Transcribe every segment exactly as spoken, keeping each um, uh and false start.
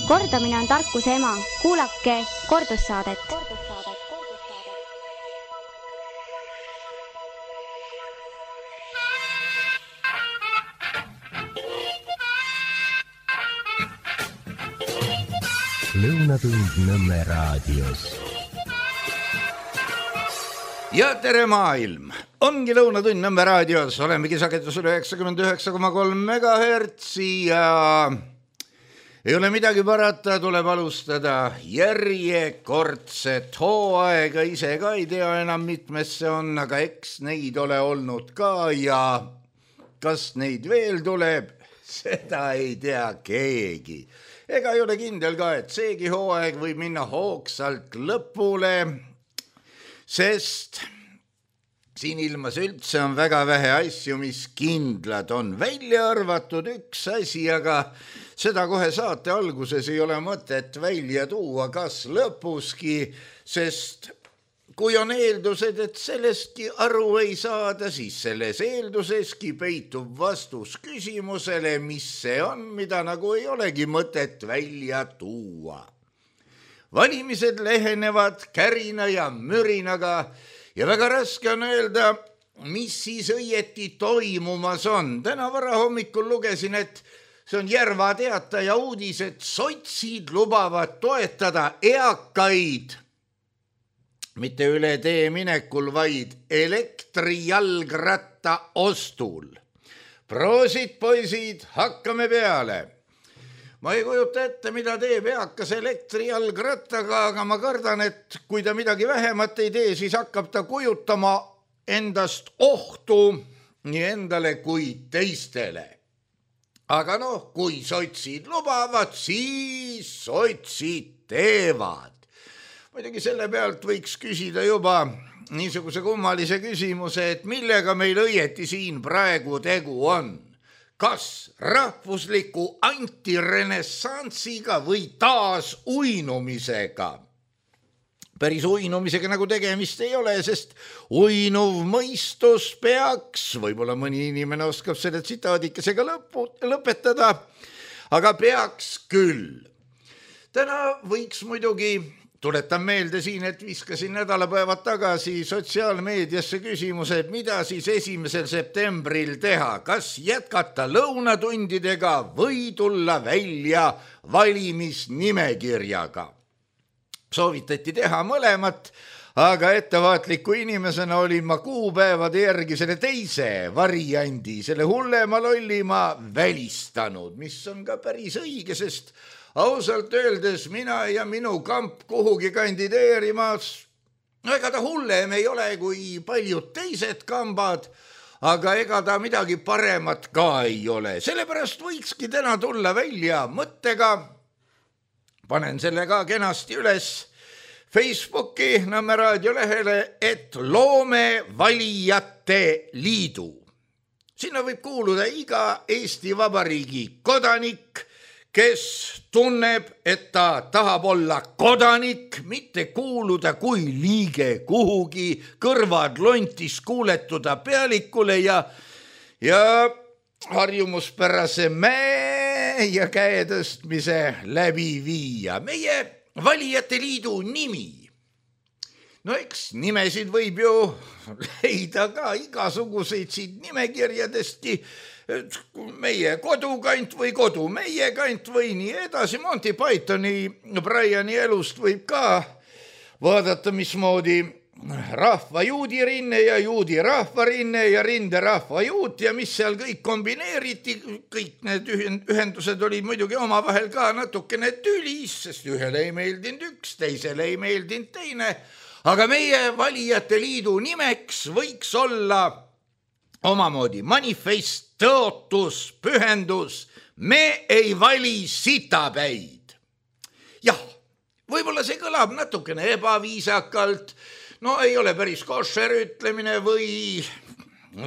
Kordamine on tarkuse ema. Kuulake kordussaadet. Lõunatund Nõmme raadios. Ja tere maailm! Ongi Lõunatund Nõmme raadios. Olemegi sagedusel üheksakümmend üheksa koma kolm megahertsi ja ei ole midagi parata, tuleb alustada järjekordset hooaega. Ise ka ei tea enam mitmes see on, aga eks neid ole olnud ka ja kas neid veel tuleb, seda ei tea keegi. Ega ei ole kindel ka, et seegi hooaeg võib minna hoogsalt lõpule, sest siin ilmas üldse on väga vähe asju, mis kindlad on. Välja arvatud üks asi, aga seda kohe saate alguses ei ole mõtet välja tuua, kas lõpuski, sest kui on eeldused, et sellestki aru ei saada, siis selles eelduseski peitub vastus küsimusele, mis see on, mida nagu ei olegi mõtet välja tuua. Valimised lehenevad kärina ja mürinaga ja väga raske on öelda, mis siis õieti toimumas on. Täna varahommikul lugesin, et see on Järva Teataja uudis, et sotsid lubavad toetada eakaid mitte üle tee minekul, vaid elektrijalgratta ostul. Proosid, poisid, hakkame peale. Ma ei kujuta ette, mida teeb eakas elektrijalgrattaga, aga ma kardan, et kui ta midagi vähemat ei tee, siis hakkab ta kujutama endast ohtu nii endale kui teistele. Aga noh, kui sotsid lubavad, siis sotsid teevad. Muidugi selle pealt võiks küsida juba niisuguse kummalise küsimuse, et millega meil õieti siin praegu tegu on. Kas rahvusliku antirenessansiga või taas uinumisega? Päris uinumisega nagu tegemist ei ole, sest uinuv mõistus peaks, võib-olla mõni inimene oskab selle tsitaadikesega lõpu, lõpetada, aga peaks küll. Täna võiks muidugi... Tuletan meelde siin, et viskasin nädalapäevad tagasi sotsiaalmeediasse küsimuse, et mida siis esimesel septembril teha, kas jätkata lõunatundidega või tulla välja valimisnimekirjaga. Soovitati teha mõlemat, aga ettevaatliku inimesena olin ma kuupäevade järgi selle teise variandi, selle hullema lollima välistanud, mis on ka päris õige, sest ausalt öeldes mina ja minu kamp kuhugi kandideerimas, no ega ta hullem ei ole kui paljud teised kambad, aga ega ta midagi paremat ka ei ole. Sellepärast võikski täna tulla välja mõttega, panen selle ka kenasti üles Facebooki Nõmme raadio lehele, et loome valijate liidu. Sinna võib kuuluda iga Eesti Vabariigi kodanik, kes tunneb, et ta tahab olla kodanik, mitte kuuluda kui liige kuhugi, kõrvad lontis kuuletuda pealikule ja, ja harjumuspärase mäe ja käetõstmise läbi viia. Meie valijate liidu nimi. No eks nimesid võib ju leida ka igasuguseid siit nimekirjadestki, meie kodukant või kodu meie kant või nii edasi. Monty Pythoni Briani elust võib ka vaadata, mismoodi rahva juudirinne ja juudi rahvarinne ja rinde rahva juut ja mis seal kõik kombineeriti. Kõik need ühendused olid muidugi omavahel ka natukene tülis, sest ühele ei meeldinud üks, teisele ei meeldinud teine. Aga meie valijate liidu nimeks võiks olla omamoodi manifest, tõotus, pühendus, me ei vali sitapäid. Jah, võib-olla see kõlab natukene ebaviisakalt, no ei ole päris košer ütlemine või,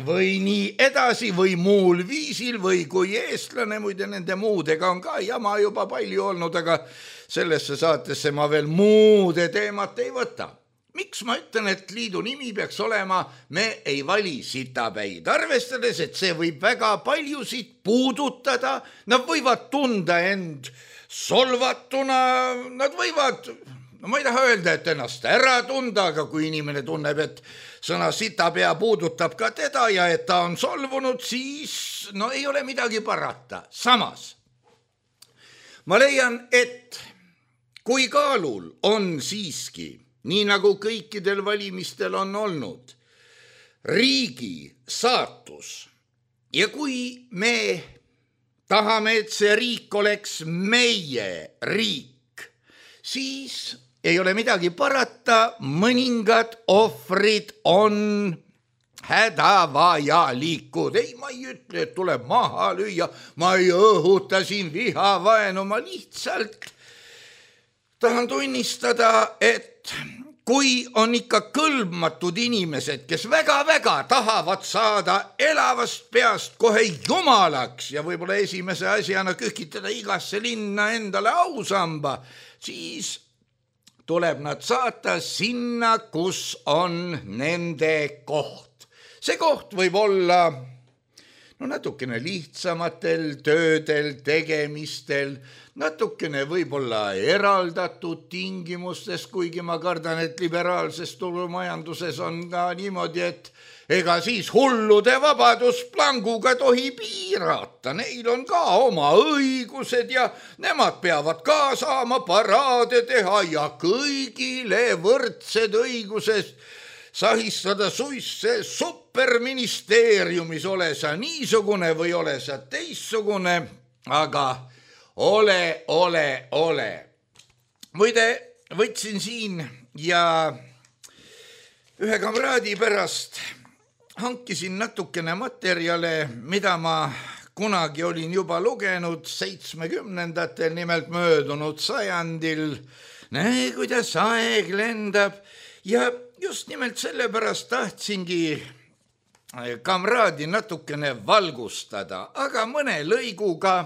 või nii edasi või muul viisil või kui eestlane, muide nende muudega on ka jama juba palju olnud, aga sellesse saatesse ma veel muude teemat ei võta. miks ma ütlen, et liidu nimi peaks olema Me ei vali sitapäid, arvestades, et see võib väga paljusid puudutada, nad võivad tunda end solvatuna, nad võivad, no ma ei taha öelda, et ennast ära tunda, aga kui inimene tunneb, et sõna sitapea puudutab ka teda ja et ta on solvunud, siis no ei ole midagi parata. Samas ma leian, et kui kaalul on siiski, nii nagu kõikidel valimistel on olnud, riigi saatus ja kui me tahame, et see riik oleks meie riik, siis ei ole midagi parata, mõningad ohvrid on hädavajalikud. Ei, ma ei ütle, et tuleb maha lüüa, ma ei õhuta siin vihavaenu, ma lihtsalt tahan tunnistada, et kui on ikka kõlbmatud inimesed, kes väga-väga tahavad saada elavast peast kohe jumalaks ja võib-olla esimese asjana kühkitada igasse linna endale ausamba, siis tuleb nad saata sinna, kus on nende koht. See koht võib olla no natukene lihtsamatel töödel, tegemistel, natukene võib-olla eraldatud tingimustes, kuigi ma kardan, et liberaalses turumajanduses on ka niimoodi, et ega siis hullude vabadusplanguga tohi piirata. Neil on ka oma õigused ja nemad peavad ka saama paraade teha ja kõigile võrdsed õigused sahistada suisse superministeeriumis, ole sa niisugune või ole sa teissugune, aga ole, ole, ole. Muide, võtsin siin ja ühe kamraadi pärast hankisin natukene materjale, mida ma kunagi olin juba lugenud seitsmekümnendatel, nimelt möödunud sajandil. Näe, kuidas aeg lendab ja just nimelt sellepärast tahtsingi kamraadi natukene valgustada, aga mõne lõiguga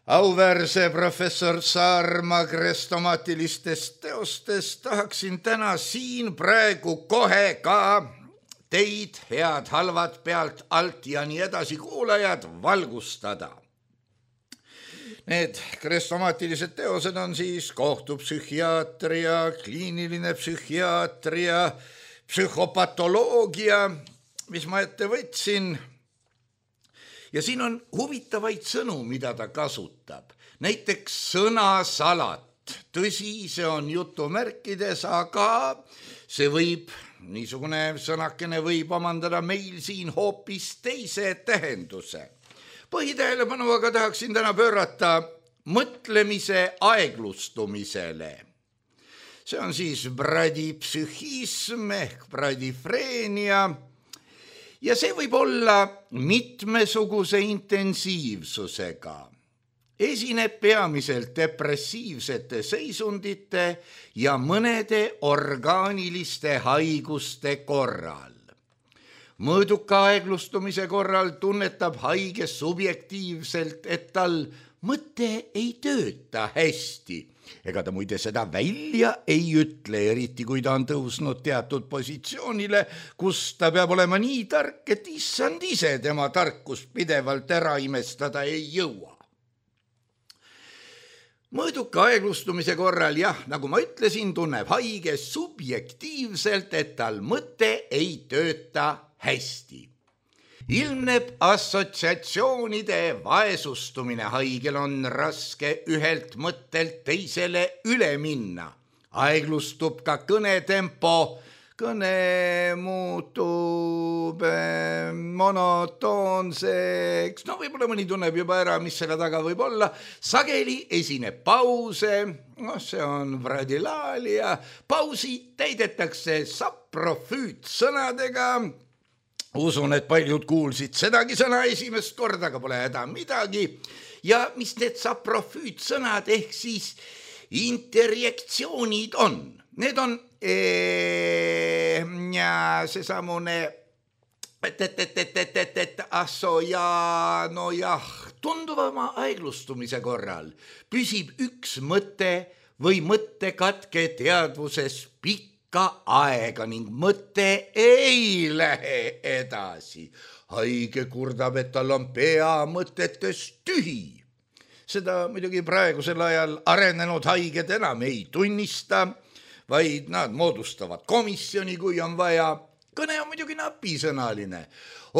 auväärse professor Saarma krestomaatilistest teostest tahaksin täna siin praegu kohe ka teid, head halvad pealt, alt ja nii edasi kuulajad, valgustada. Need krestomaatilised teosed on siis kohtupsühhiaatria, kliiniline psühhiaatria, psühhopatoloogia, mis ma ette võtsin. Ja siin on huvitavaid sõnu, mida ta kasutab. Näiteks sõnasalat. Tõsi, see on jutumärkides, aga see võib, niisugune sõnakene võib omandada meil siin hoopis teise tähenduse. Põhitähelepanu aga tahaksin täna pöörata mõtlemise aeglustumisele. See on siis bradipsühhism ehk bradifreenia ja see võib olla mitmesuguse intensiivsusega. Esineb peamiselt depressiivsete seisundite ja mõnede orgaaniliste haiguste korral. Mõõduka aeglustumise korral tunnetab haige subjektiivselt, et tal mõte ei tööta hästi. Ega ta muide seda välja ei ütle, eriti kui ta on tõusnud teatud positsioonile, kus ta peab olema nii tark, et issand ise tema tarkust pidevalt ära imestada ei jõua. Mõõduka aeglustumise korral, jah, nagu ma ütlesin, tunneb haige subjektiivselt, et tal mõte ei tööta hästi. Ilmneb assotsiatsioonide vaesustumine, haigel on raske ühelt mõttelt teisele üle minna. Aeglustub ka kõnetempo, kõne muutub monotoonseks, no võib-olla mõni tunneb juba ära, mis selle taga võib olla. Sageli esineb pause, no see on vradilaalia, pausi täidetakse saprofüütsõnadega. Usun, et paljud kuulsid sedagi sõna esimest korda, aga pole häda midagi. Ja mis need saprofüütsõnad ehk siis interjektsioonid on? Need on ee, ja seesamune et, et, et, et, et, et, et asso ja no jah, tunduvama aeglustumise korral püsib üks mõte või mõttekatke teadvuses pikka pikka aega ning mõte ei lähe edasi. Haige kurdab, et tal on pea mõtetes tühi. Seda muidugi praegusel ajal arenenud haiged enam ei tunnista, vaid nad moodustavad komisjoni, kui on vaja. Kõne on muidugi napisõnaline.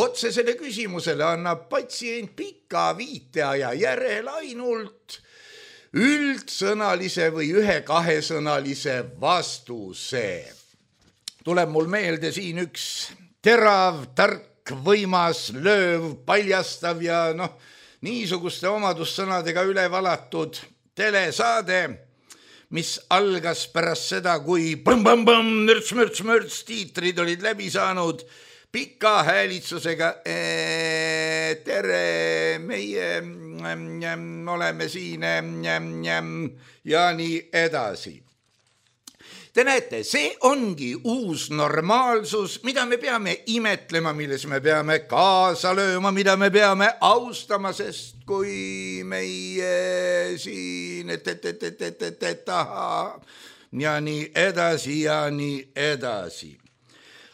Otsesele küsimusele annab patsient pika viiteaja järel ainult üldsõnalise või ühe kahesõnalise vastuse. Tuleb mul meelde siin üks terav, tark, võimas, lööv, paljastav ja noh, niisuguste omadussõnadega üle valatud telesaade, mis algas pärast seda, kui põmm-põmm-põmm, mürts-mürts-mürts tiitrid olid läbi saanud pika häälitsusega. Tere, meie oleme siin ja nii edasi. Te näete, see ongi uus normaalsus, mida me peame imetlema, milles me peame kaasa lööma, mida me peame austama, sest kui meie siin et, et, et, et, et, et, et, aha, ja nii edasi ja nii edasi.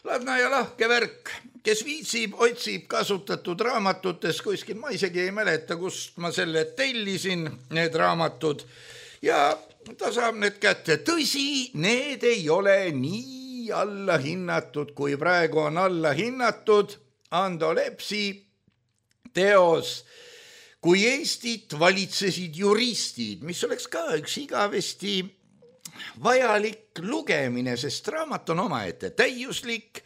Ladna ja lahke värk, kes viitsib, otsib kasutatud raamatutes kuskil, ma isegi ei mäleta, kust ma selle tellisin, need raamatud, ja ta saab need kätte. Tõsi, need ei ole nii alla hinnatud, kui praegu on alla hinnatud Ando Lepsi teos Kui Eestit valitsesid juristid, mis oleks ka üks igavesti vajalik lugemine, sest raamat on omaette täiuslik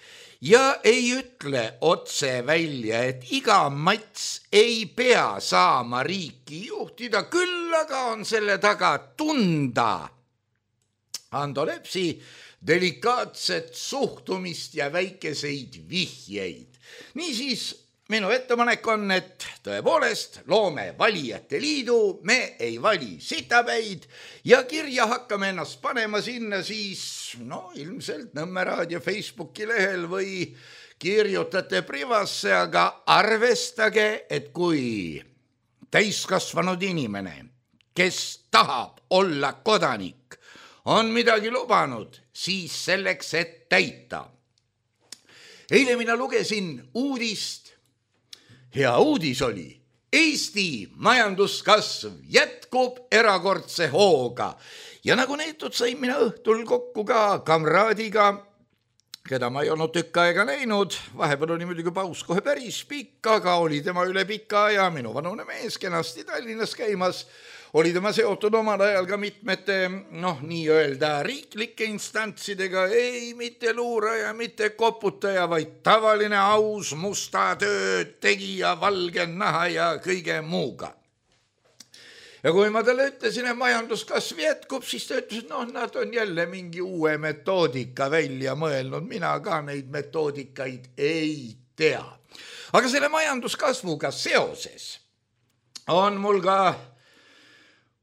ja ei ütle otse välja, et iga mats ei pea saama riiki juhtida, küll aga on selle taga tunda Ando Lepsi delikaatset suhtumist ja väikeseid vihjeid. Niisiis, minu ettepanek on, et tõepoolest loome valijate liidu, me ei vali sitapäid ja kirja hakkame ennast panema sinna siis, no ilmselt Nõmme Raadio Facebooki lehel või kirjutate privasse, aga arvestage, et kui täiskasvanud inimene, kes tahab olla kodanik, on midagi lubanud, siis selleks, et täita. Eile mina lugesin uudist. Hea uudis oli, Eesti majanduskasv jätkub erakordse hooga ja nagu neetud sain mina õhtul kokku ka kamraadiga, keda ma ei olnud tükk aega näinud, vahepeal oli muidugi paus kohe päris pikk, aga oli tema üle pika aja minu vanune mees kenasti Tallinnas käimas, oli tema seotud omal ajal ka mitmete, noh, nii-öelda riiklike instantsidega, ei mitte luuraja, mitte koputaja, vaid tavaline aus musta töö tegija, valge naha ja kõige muuga. Ja kui ma talle ütlesin, et majanduskasv jätkub, siis ta ütles, et noh, nad on jälle mingi uue metoodika välja mõelnud, mina ka neid metoodikaid ei tea. Aga selle majanduskasvuga seoses on mul ka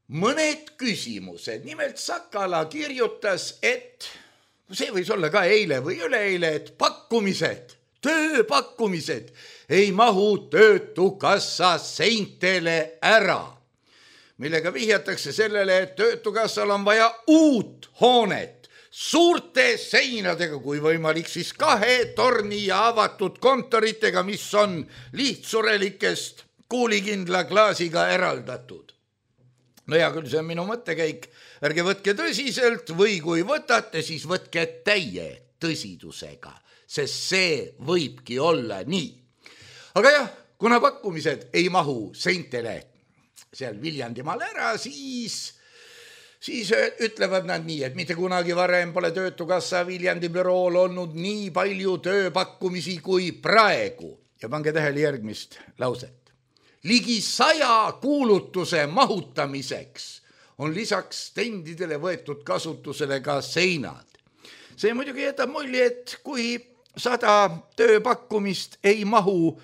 mõned küsimused. Nimelt Sakala kirjutas, et see võis olla ka eile või üleeile, et pakkumised, tööpakkumised ei mahu töötukassa seintele ära, millega vihjatakse sellele, et töötukassal on vaja uut hoonet suurte seinadega, kui võimalik siis kahe torni ja avatud kontoritega, mis on lihtsurelikest kuulikindla klaasiga eraldatud. No ja küll see on minu mõttekäik, ärge võtke tõsiselt või kui võtate, siis võtke täie tõsidusega, sest see võibki olla nii. Aga jah, kuna pakkumised ei mahu seintele seal Viljandimaal ära, siis, siis ütlevad nad nii, et mitte kunagi varem pole Töötukassa Viljandi bürool olnud nii palju tööpakkumisi kui praegu. Ja pange tähele järgmist lauset. Ligi saja kuulutuse mahutamiseks on lisaks stendidele võetud kasutusele ka seinad. See muidugi jätab mulje, et kui sada tööpakkumist ei mahu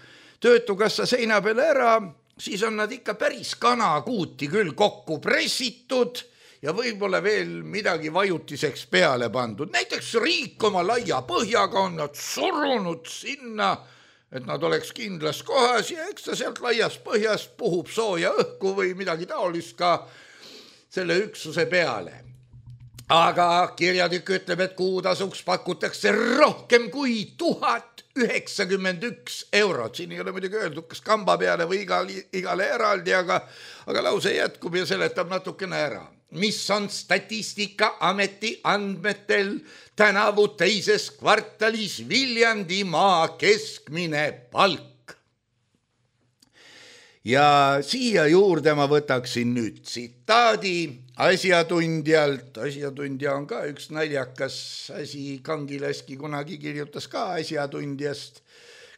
Töötukassa seina peale ära, siis on nad ikka päris kanakuuti küll kokku pressitud ja võib-olla veel midagi vajutiseks peale pandud. Näiteks riik oma laia põhjaga on nad surunud sinna, et nad oleks kindlas kohas ja eks ta sealt laias põhjas puhub sooja õhku või midagi taolist ka selle üksuse peale. aga kirjatükk ütleb, et kuutasuks pakutakse rohkem kui tuhat üheksakümmend üks eurot. Siin ei ole muidugi öeldud, kas kamba peale või igale, igale eraldi, aga, aga lause jätkub ja seletab natukene ära. Mis on Statistikaameti andmetel tänavu teises kvartalis Viljandimaa keskmine palk? Ja siia juurde ma võtaksin nüüd tsitaadi asjatundjalt. Asjatundja on ka üks naljakas asi. Kangilaski kunagi kirjutas ka asjatundjast,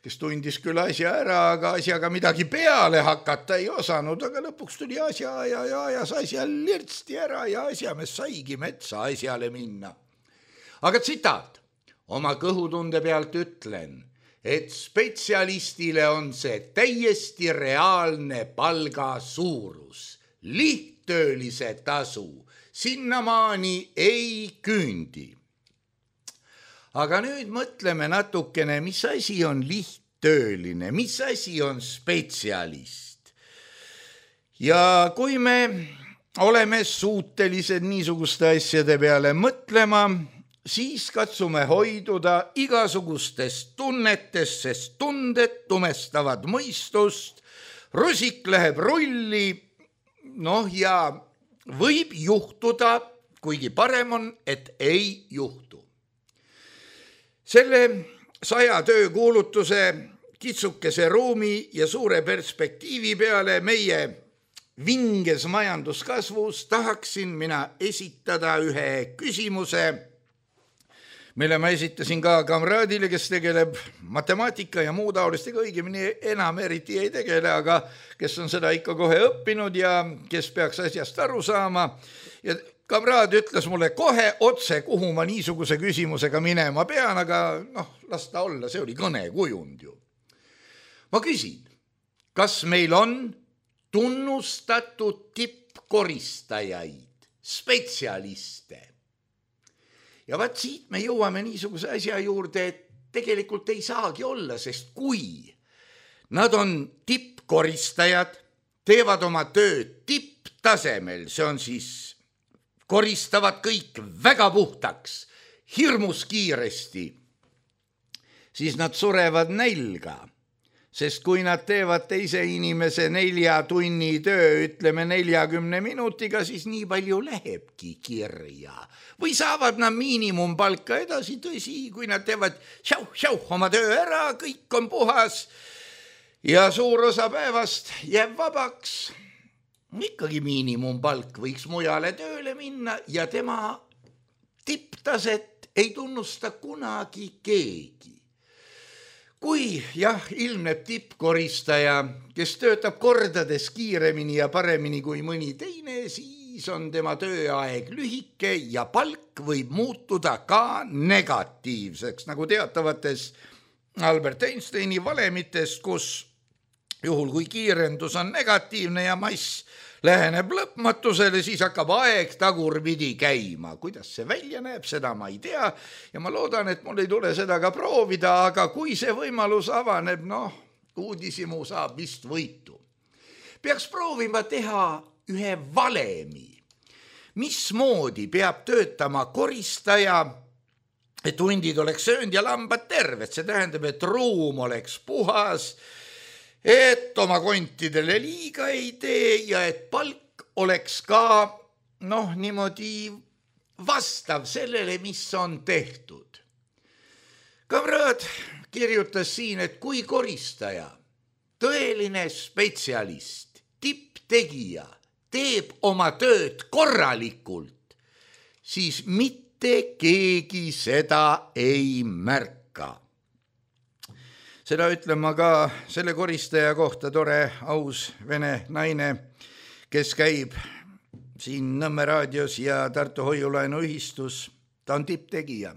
kes tundis küll asja ära, aga asjaga midagi peale hakata ei osanud, aga lõpuks tuli asja ja, ja ajas asja lirtsti ära ja asjamees saigi metsa asjale minna. Aga tsitaat. Oma kõhutunde pealt ütlen, et spetsialistile on see täiesti reaalne palga suurus. Lihttöölise tasu sinnamaani ei küündi. Aga nüüd mõtleme natukene, mis asi on lihttööline, mis asi on spetsialist. Ja kui me oleme suutelised niisuguste asjade peale mõtlema, siis katsume hoiduda igasugustest tunnetest, sest tunded tumestavad mõistust, rusik läheb rulli, noh ja võib juhtuda, kuigi parem on, et ei juhtu. Selle saja töökuulutuse kitsukese ruumi ja suure perspektiivi peale meie vinges majanduskasvus tahaksin mina esitada ühe küsimuse, mille ma esitasin ka kamraadile, kes tegeleb matemaatika ja muu taolistega, õigemini enam eriti ei tegele, aga kes on seda ikka kohe õppinud ja kes peaks asjast aru saama. Ja kamraad ütles mulle kohe otse, kuhu ma niisuguse küsimusega minema pean, aga noh, las ta olla, see oli kõnekujund ju. Ma küsin, kas meil on tunnustatud tippkoristajaid, spetsialiste? Ja vaat siit me jõuame niisuguse asja juurde, et tegelikult ei saagi olla, sest kui nad on tippkoristajad, teevad oma tööd tipptasemel, see on siis koristavad kõik väga puhtaks, hirmus kiiresti, siis nad surevad nälga. Sest kui nad teevad teise inimese nelja tunni töö, ütleme neljakümne minutiga, siis nii palju lähebki kirja. Või saavad nad miinimumpalka edasi, tõsi, kui nad teevad šauh-šauh oma töö ära, kõik on puhas ja suur osa päevast jääb vabaks. Ikkagi miinimumpalk võiks mujale tööle minna ja tema tipptaset ei tunnusta kunagi keegi. Kui jah, ilmneb tippkoristaja, kes töötab kordades kiiremini ja paremini kui mõni teine, siis on tema tööaeg lühike ja palk võib muutuda ka negatiivseks, nagu teatavates Albert Einsteini valemites, kus juhul kui kiirendus on negatiivne ja mass läheneb lõpmatusele, siis hakkab aeg tagurpidi käima. Kuidas see välja näeb, seda ma ei tea ja ma loodan, et mul ei tule seda ka proovida, aga kui see võimalus avaneb, noh, uudisimu saab vist võitu. Peaks proovima teha ühe valemi. Mismoodi peab töötama koristaja, et hundid oleks söönud ja lambad terved, see tähendab, et ruum oleks puhas, et oma kontidele liiga ei tee ja et palk oleks ka noh, niimoodi vastav sellele, mis on tehtud. Kamraad kirjutas siin, et kui koristaja, tõeline spetsialist, tipptegija teeb oma tööd korralikult, siis mitte keegi seda ei märka. Seda ütlen ma ka selle koristaja kohta, tore, aus vene naine, kes käib siin Nõmme raadios ja Tartu Hoiulaenu ühistus. Ta on tipptegija.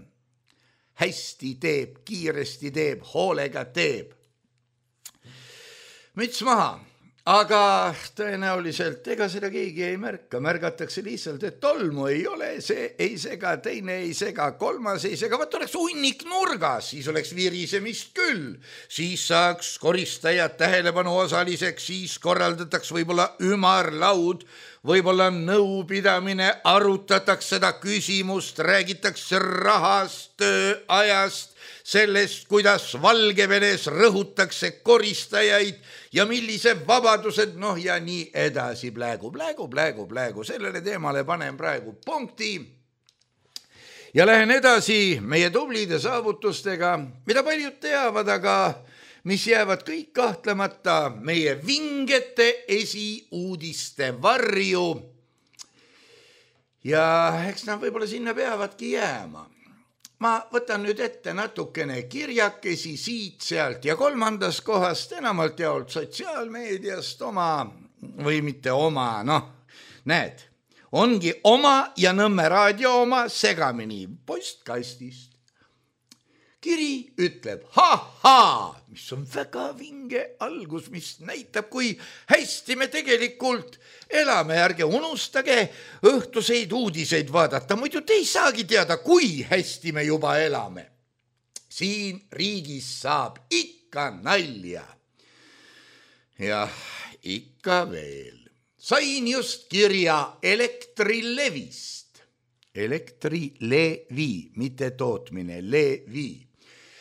Hästi teeb, kiiresti teeb, hoolega teeb. Müts maha, aga tõenäoliselt ega seda keegi ei märka, märgatakse lihtsalt, et tolmu ei ole, see ei sega, teine ei sega, kolmas ei sega, vaat oleks hunnik nurgas, siis oleks virisemist küll, siis saaks koristajad tähelepanu osaliseks, siis korraldataks võib-olla ümarlaud, võib-olla nõupidamine, arutatakse seda küsimust, räägitakse rahast, tööajast, sellest, kuidas Valgevenes rõhutakse koristajaid ja millise vabadused, noh ja nii edasi, plägu, plägu, plägu, plägu, sellele teemale panen praegu punkti ja lähen edasi meie tublide saavutustega, mida paljud teavad, aga mis jäävad kõik kahtlemata meie vingete esiuudiste varju ja eks nad võib-olla sinna peavadki jääma. Ma võtan nüüd ette natukene kirjakesi siit, sealt ja kolmandas kohast, enamalt jaolt sotsiaalmeediast oma või mitte oma, noh, näed, ongi oma ja Nõmme raadio oma segamini postkastist. Kiri ütleb, ha-ha, mis on väga vinge algus, mis näitab, kui hästi me tegelikult elame, ärge unustage õhtuseid uudiseid vaadata, muidu te ei saagi teada, kui hästi me juba elame. Siin riigis saab ikka nalja. Jah, ikka veel. Sain just kirja Elektrilevist. Elektrilevi, mitte tootmine, levi.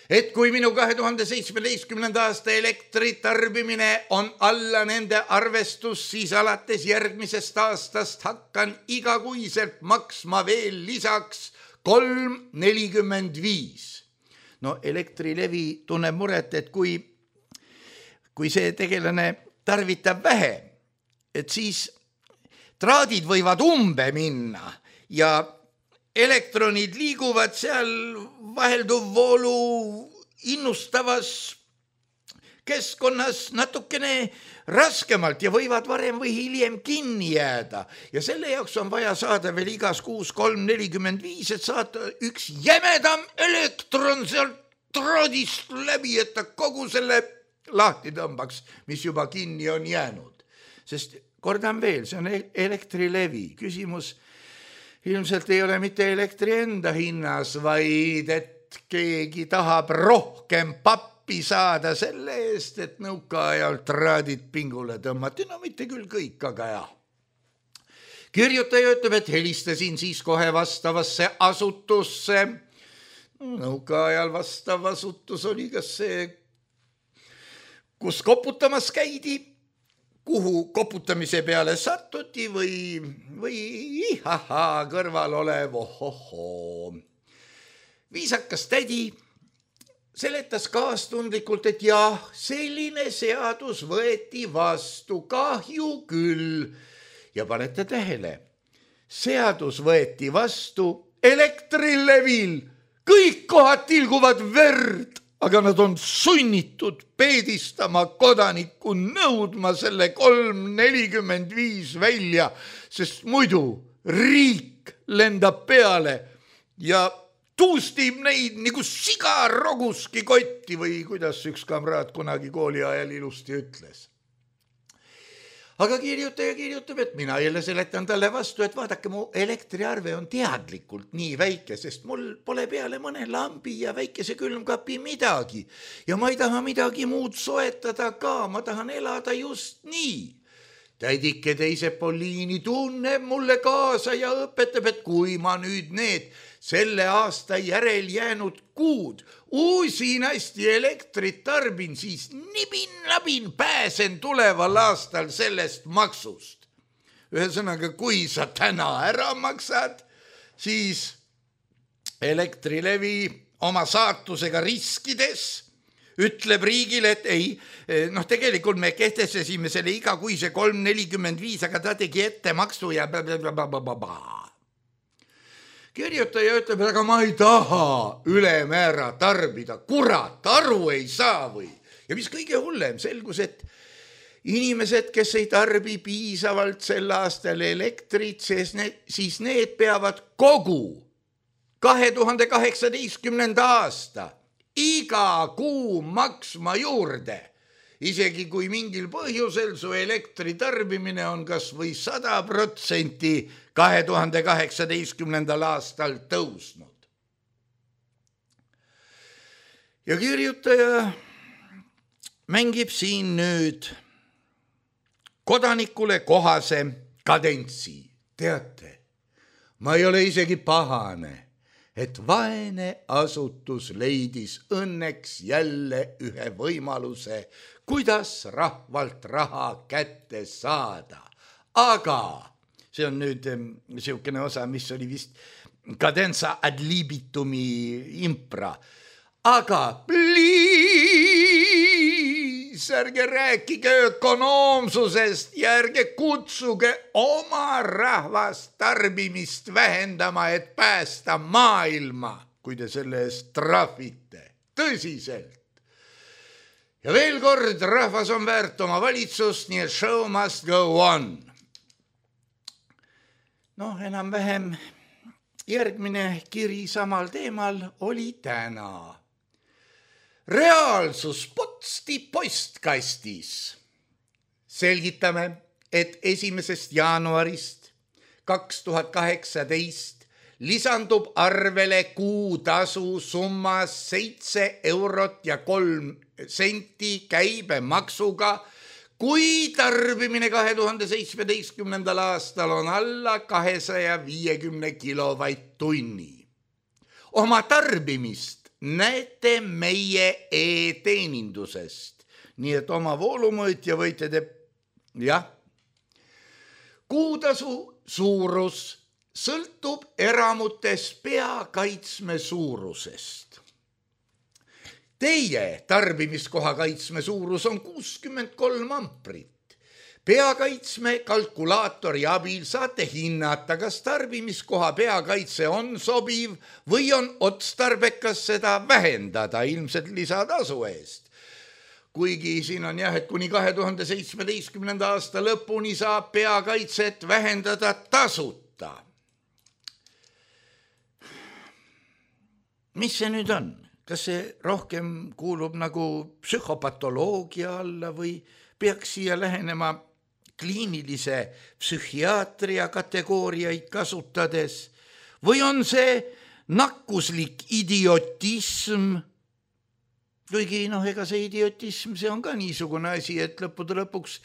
Et kui minu kahe tuhande seitsmeteistkümnenda aasta elektritarbimine on alla nende arvestus, siis alates järgmisest aastast hakkan igakuiselt maksma veel lisaks kolm nelikümmend viis. No Elektrilevi tunneb muret, et kui, kui see tegelane tarvitab vähe, et siis traadid võivad umbe minna ja elektronid liiguvad seal vahelduv voolu innustavas keskkonnas natukene raskemalt ja võivad varem või hiljem kinni jääda. Ja selle jaoks on vaja saada veel igas kuus kolm nelikümmend viis, et saada üks jämedam elektron sealt traadist läbi, et ta kogu selle lahti tõmbaks, mis juba kinni on jäänud. Sest kordan veel, see on Elektrilevi küsimus. Ilmselt ei ole mitte elektri enda hinnas, vaid et keegi tahab rohkem pappi saada selle eest, et nõukaajal traadid pingule tõmmati. No mitte küll kõik, aga jah. Kirjutaja ütleb, et helistasin siis kohe vastavasse asutusse. Nõukaajal vastav asutus oli kas see, kus koputamas käidi, kuhu koputamise peale sattuti või, või ihaha kõrval olev ohohoo. Viisakas tädi seletas kaastundlikult, et jah, selline seadus võeti vastu, kahju küll. Ja panete tähele, seadus võeti vastu Elektrilevil, kõik kohad tilguvad verd. Aga nad on sunnitud peedistama kodanikku, nõudma selle kolm nelikümmend viis välja, sest muidu riik lendab peale ja tuustib neid nagu siga roguski kotti või kuidas üks kamraad kunagi kooli ajal ilusti ütles. Aga kirjutaja kirjutab, et mina jälle seletan talle vastu, et vaadake, mu elektriarve on teadlikult nii väike, sest mul pole peale mõne lambi ja väikese külmkapi midagi. Ja ma ei taha midagi muud soetada ka, ma tahan elada just nii. Tädike teise Poliini tunneb mulle kaasa ja õpetab, et kui ma nüüd need selle aasta järel jäänud kuud uusin hästi elektrit tarbin, siis nibin-labin pääsen tuleval aastal sellest maksust. Ühesõnaga, kui sa täna ära maksad, siis Elektrilevi oma saatusega riskides ütleb riigile, et ei, noh tegelikult me kehtestasime selle igakuise kolm nelikümmend viis, aga ta tegi ettemaksu ja blablabla. Kirjutaja ütleb, aga ma ei taha ülemäära tarbida, kurat, aru ei saa või. Ja mis kõige hullem, selgus, et inimesed, kes ei tarbi piisavalt sel aastal elektrit, siis need peavad kogu kahe tuhande kaheksateistkümnenda aasta iga kuu maksma juurde isegi kui mingil põhjusel su elektritarbimine on kas või sada protsenti kahe tuhande kaheksateistkümnendal aastal tõusnud. Ja kirjutaja mängib siin nüüd kodanikule kohase kadentsi. Teate, ma ei ole isegi pahane, et vaene asutus leidis õnneks jälle ühe võimaluse, kuidas rahvalt raha kätte saada. Aga see on nüüd niisugune osa, mis oli vist cadenza ad libitumi impra. Aga pliis, ärge rääkige ökonoomsusest ja ärge kutsuge oma rahvast tarbimist vähendama, et päästa maailma, kui te selle eest trahvite. Tõsiselt. Ja veel kord, rahvas on väärt oma valitsust, nii et show must go on. Noh, enam-vähem järgmine kiri samal teemal oli täna. Reaalsus Potsti postkastis. Selgitame, et esimesest jaanuarist kaks tuhat kaheksateist lisandub arvele kuutasu summas seitse eurot ja kolm senti käibemaksuga, kui tarbimine kahe tuhande seitsmeteistkümnendal aastal on alla kahesaja viiekümne kilovatt-tunni. Oma tarbimist näete meie e-teenindusest, nii et oma voolumõõtja võite te, jah. Kuutasu suurus sõltub eramutes peakaitsme suurusest. Teie tarbimiskoha kaitsme suurus on kuuskümmend kolm amprit. Peakaitsme kalkulaatori abil saate hinnata, kas tarbimiskoha peakaitse on sobiv või on otstarbekas seda vähendada ilmselt lisatasu eest. Kuigi siin on jah, et kuni kahe tuhande seitsmeteistkümnenda aasta lõpuni saab peakaitset vähendada tasuta. Mis see nüüd on? Kas see rohkem kuulub nagu psühhopatoloogia alla või peaks siia lähenema kliinilise psühhiaatria kategooriaid kasutades või on see nakkuslik idiotism? Kuigi noh, ega see idiotism, see on ka niisugune asi, et lõppude lõpuks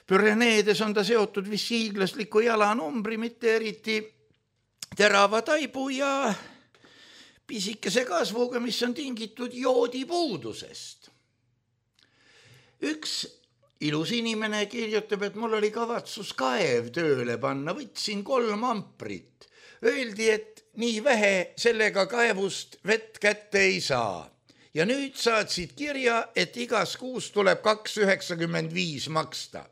Püreneedes on ta seotud vist hiiglasliku jalanumbri, mitte eriti terava taibu ja pisikese kasvuga, mis on tingitud joodipuudusest. Üks ilus inimene kirjutab, et mul oli kavatsus kaev tööle panna, võtsin kolm amprit. Öeldi, et nii vähe sellega kaevust vett kätte ei saa. Ja nüüd saatsid kirja, et igas kuus tuleb kaks üheksakümmend viis maksta.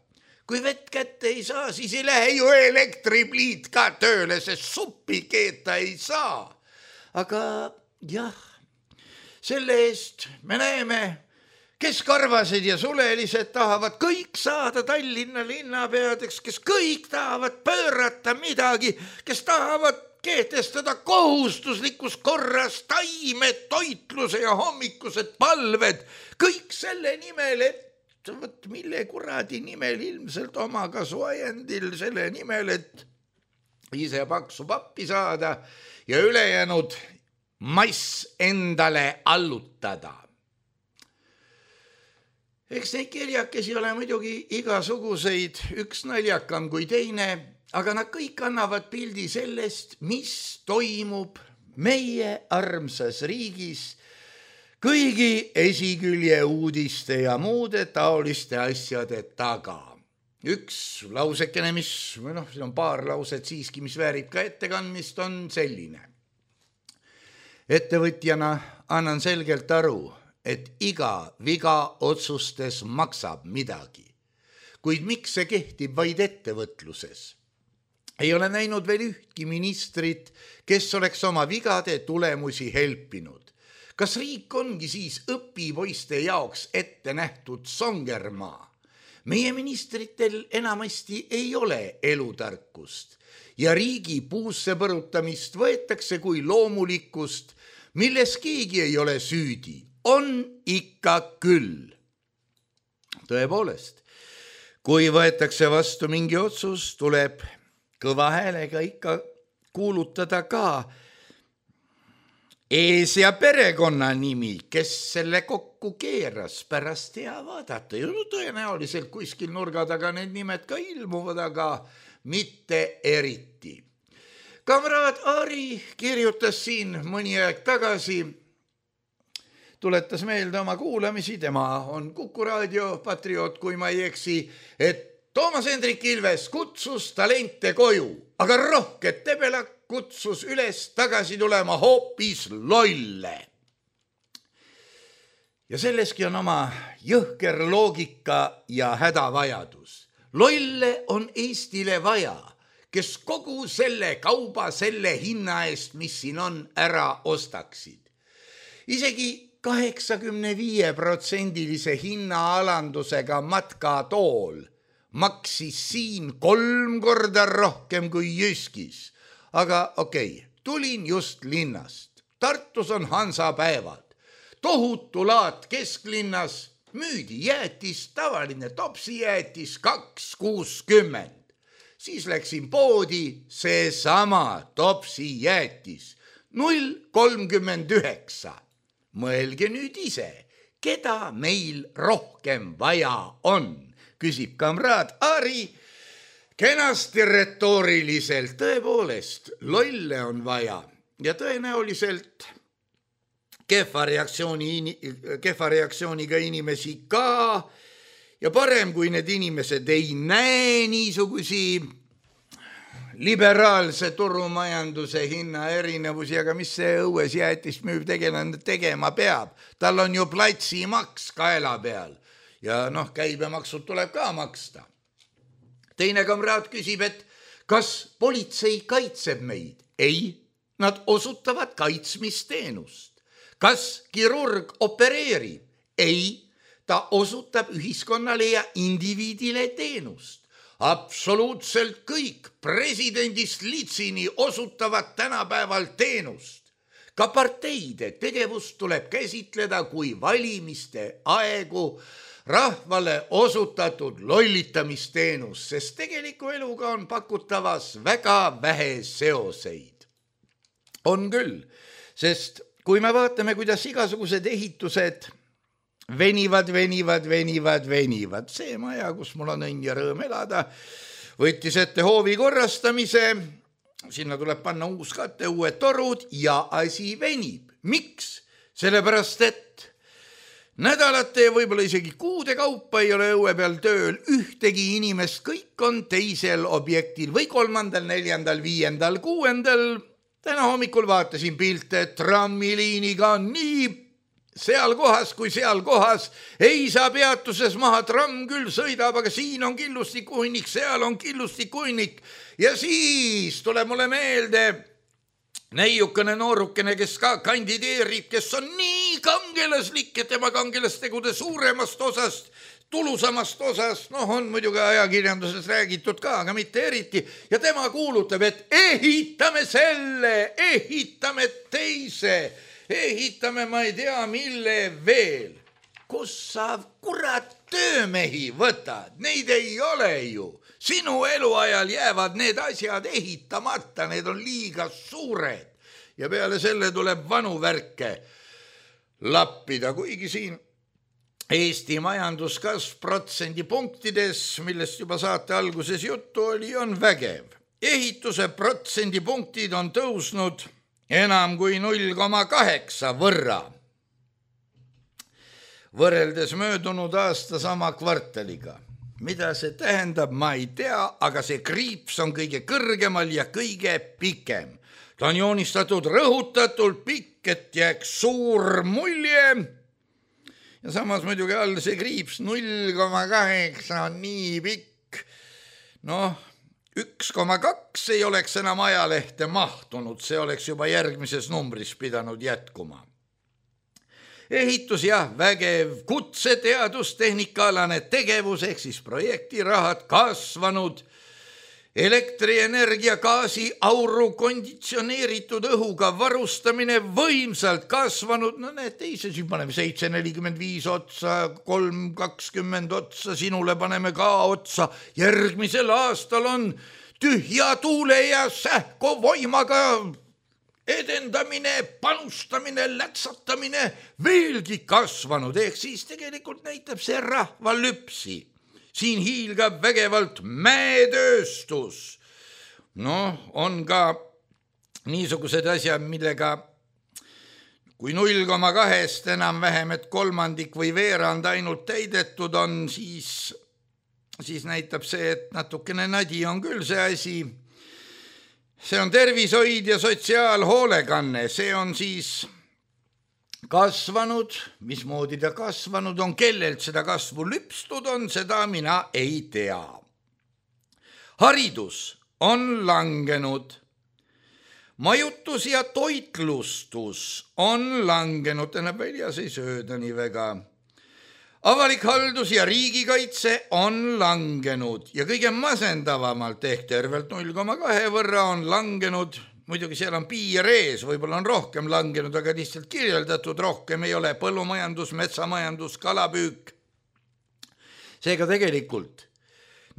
Kui vett kätte ei saa, siis ei lähe ju elektripliit ka tööle, sest suppi keeta ei saa. Aga jah, selle eest me näeme, kes karvased ja sulelised tahavad kõik saada Tallinna linnapeadeks, kes kõik tahavad pöörata midagi, kes tahavad kehtestada kohustuslikus korras taimed, toitluse ja hommikused palved, kõik selle nimel, et võt, mille kuradi nimel ilmselt oma kasuajendil selle nimel, et ise paksu pappi saada ja ülejäänud mass endale allutada. Eks neid kirjakesi ole muidugi igasuguseid, üks naljakam kui teine, aga nad kõik annavad pildi sellest, mis toimub meie armsas riigis kõigi esikülje uudiste ja muude taoliste asjade taga. Üks lausekene, mis, või noh, see on paar lauset siiski, mis väärib ka ettekandmist, on selline. Ettevõtjana annan selgelt aru, et iga viga otsustes maksab midagi. Kuid miks see kehtib vaid ettevõtluses? Ei ole näinud veel ühtki ministrit, kes oleks oma vigade tulemusi helpinud. Kas riik ongi siis õpipoiste jaoks ette nähtud songermaa? Meie ministritel enamasti ei ole elutarkust ja riigi puusse põrutamist võetakse kui loomulikkust, milles keegi ei ole süüdi. On ikka küll. tõepoolest, kui võetakse vastu mingi otsus, tuleb kõva häälega ikka kuulutada ka ees- ja perekonnanimi, kes selle kokku keeras, pärast hea vaadata. Ja no, tõenäoliselt kuskil nurga taga need nimed ka ilmuvad, aga mitte eriti. Kamraad Ari kirjutas siin mõni aeg tagasi, tuletas meelde oma kuulamisi, tema on Kuku raadio patrioot, kui ma ei eksi, et Toomas Hendrik Ilves kutsus talente koju, aga rohket Tebela kutsus üles tagasi tulema hoopis lolle. Ja selleski on oma jõhker loogika ja hädavajadus. Lolle on Eestile vaja, kes kogu selle kauba selle hinna eest, mis siin on, ära ostaksid. Isegi kaheksakümne viie protsendilise hinnaalandusega matkatool maksis siin kolm korda rohkem kui Jyskis. Aga okei, okay, tulin just linnast. Tartus on Hansapäevad. Tohutu laat kesklinnas, müüdi jäätis, tavaline topsijäätis kaks kuuskümmend. Siis läksin poodi, see sama topsijäätis null kolmkümmend üheksa. Mõelge nüüd ise, keda meil rohkem vaja on, küsib kamraad Ari. Kenasti retooriliselt, tõepoolest, lolle on vaja ja tõenäoliselt kehva reaktsiooni, kehva reaktsiooniga inimesi ka ja parem, kui need inimesed ei näe niisugusi liberaalse turumajanduse hinna erinevusi, aga mis see õues jäätist müüv tegelane tegema peab? Tal on ju platsimaks kaela peal ja noh, käibemaksud tuleb ka maksta. Teine kamraad küsib, et kas politsei kaitseb meid? Ei, nad osutavad kaitsmisteenust. Kas kirurg opereerib? Ei, ta osutab ühiskonnale ja indiviidile teenust. Absoluutselt kõik presidendist litsini osutavad tänapäeval teenust. Ka parteide tegevust tuleb käsitleda kui valimiste aegu rahvale osutatud lollitamisteenus, sest tegeliku eluga on pakutavas väga vähe seoseid. On küll, sest kui me vaatame, kuidas igasugused ehitused venivad, venivad, venivad, venivad. See maja, kus mul on õnn ja rõõm elada, võttis ette hoovi korrastamise, sinna tuleb panna uus kate, uued torud ja asi venib. Miks? Sellepärast, et nädalate ja võib-olla isegi kuude kaupa ei ole õue peal tööl ühtegi inimest, kõik on teisel objektil või kolmandal, neljandal, viiendal, kuuendal. Täna hommikul vaatasin pilte, trammiliiniga on nii seal kohas kui seal kohas, ei saa peatuses maha, tramm küll sõidab, aga siin on killustikuhunnik, seal on killustikuhunnik ja siis tuleb mulle meelde neiukene noorukene, kes ka kandideerib, kes on nii kangelaslik, et tema kangelastegude suuremast osast, tulusamast osast, noh on muidugi ajakirjanduses räägitud ka, aga mitte eriti, ja tema kuulutab, et ehitame selle, ehitame teise, ehitame ma ei tea mille veel. Kus sa kurat töömehi võtad? Neid ei ole ju. Sinu eluajal jäävad need asjad ehitamata, need on liiga suured. Ja peale selle tuleb vanu värke lappida, kuigi siin Eesti majanduskasv protsendipunktides, millest juba saate alguses juttu oli, on vägev. Ehituse protsendipunktid on tõusnud enam kui null koma kaheksa võrra. Võrreldes möödunud aasta sama kvartaliga. Mida see tähendab, ma ei tea, aga see kriips on kõige kõrgemal ja kõige pikem. Ta on joonistatud rõhutatult pikk, et jääks suur mulje. Ja samas muidugi all see kriips null koma kaheksa on nii pikk. Noh, üks koma kaks ei oleks enam ajalehte mahtunud, see oleks juba järgmises numbris pidanud jätkuma. Ehitus jah, vägev, kutseteadustehnikaalane tegevus ehk siis projektirahad kasvanud elektrienergia, gaasi, auru, konditsioneeritud õhuga varustamine võimsalt kasvanud, no need teise, siis paneme seitse nelikümmend viis otsa, kolm kakskümmend otsa, sinule paneme ka otsa, järgmisel aastal on tühja tuule ja sähkovoimaga edendamine, panustamine, lätsatamine veelgi kasvanud, ehk siis tegelikult näitab see rahvalüpsi. Siin hiilgab vägevalt mäetööstus. Noh, on ka niisugused asjad, millega kui null koma kahest enam vähem, et kolmandik või veerand ainult täidetud on, siis, siis näitab see, et natukene nadi on küll see asi. See on tervishoid ja sotsiaalhoolekanne, see on siis kasvanud, mismoodi ta kasvanud on, kellelt seda kasvu lüpstud on, seda mina ei tea. Haridus on langenud. Majutus ja toitlustus on langenud, tähendab väljas ei sööda nii väga. Avalik haldus ja riigikaitse on langenud ja kõige masendavamalt ehk tervelt null koma kahe võrra on langenud. Muidugi seal on piir ees, võib-olla on rohkem langenud, aga lihtsalt kirjeldatud rohkem ei ole põllumajandus, metsamajandus, kalapüük. Seega tegelikult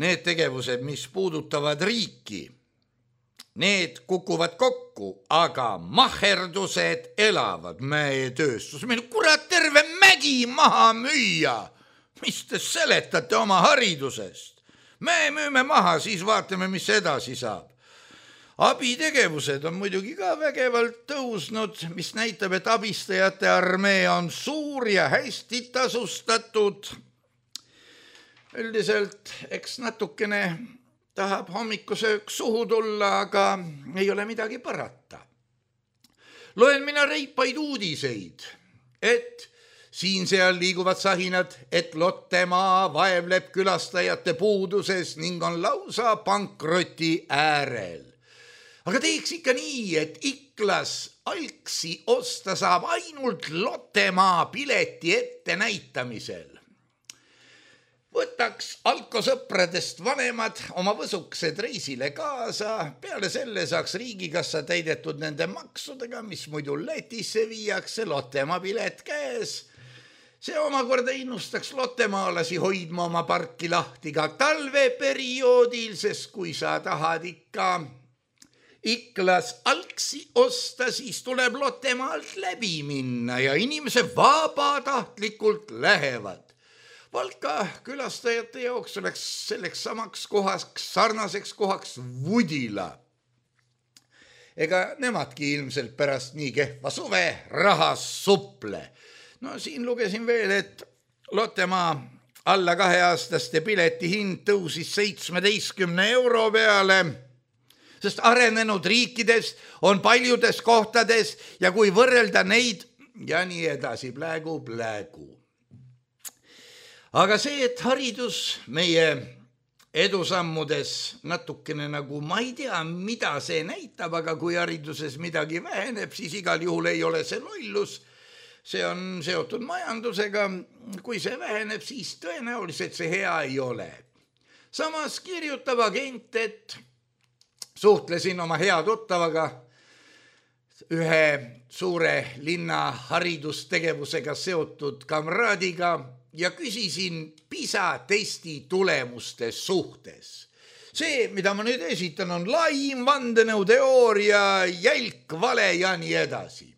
need tegevused, mis puudutavad riiki, need kukuvad kokku, aga maherdused elavad, mäetööstus. Meil kurat terve mägi maha müüa. Mis te seletate oma haridusest? Me müüme maha, siis vaatame, mis edasi saab. Abitegevused on muidugi ka vägevalt tõusnud, mis näitab, et abistajate armee on suur ja hästi tasustatud. Üldiselt, eks natukene tahab hommikusöök suhu tulla, aga ei ole midagi parata. Loen mina reipaid uudiseid, et siin seal liiguvad sahinad, et Lottemaa vaevleb külastajate puuduses ning on lausa pankroti äärel. Aga teeks ikka nii, et Iklas algsi osta saab ainult Lottemaa pileti ette näitamisel. Võtaks alkosõpradest vanemad oma võsuksed reisile kaasa, peale selle saaks riigikassa täidetud nende maksudega, mis muidu Lätisse viiakse, Lottemaa pilet käes. See omakorda innustaks lottemaalasi hoidma oma parki lahti ka talveperioodil, sest kui sa tahad ikka Iklas algsi osta, siis tuleb Lottemaalt läbi minna ja inimese vabatahtlikult lähevad. Valka külastajate jaoks oleks selleks samaks kohaks, sarnaseks kohaks Vudila. Ega nemadki ilmselt pärast nii kehva suve rahas suple. No siin lugesin veel, et Lottemaa alla kaheaastaste pileti hind tõusis seitsmeteistkümne euro peale, sest arenenud riikides on paljudes kohtades ja kui võrrelda neid ja nii edasi, plägu, plägu. Aga see, et haridus meie edusammudes natukene nagu, ma ei tea, mida see näitab, aga kui hariduses midagi väheneb, siis igal juhul ei ole see lollus. See on seotud majandusega. Kui see väheneb, siis tõenäoliselt see hea ei ole. Samas kirjutab agent, et suhtlesin oma hea tuttavaga ühe suure linna haridustegevusega seotud kamraadiga ja küsisin PISA testi tulemuste suhtes. See, mida ma nüüd esitan, on laim, vandenõuteooria, jälk, vale ja nii edasi.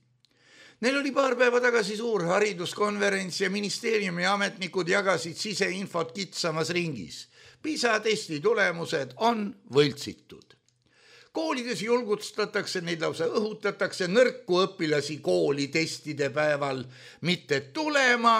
Neil oli paar päeva tagasi suur hariduskonverents ja ministeeriumi ametnikud jagasid siseinfot kitsamas ringis. PISA testi tulemused on võltsitud. Koolides julgustatakse, neid lausa õhutatakse nõrku õpilasi kooli testide päeval mitte tulema.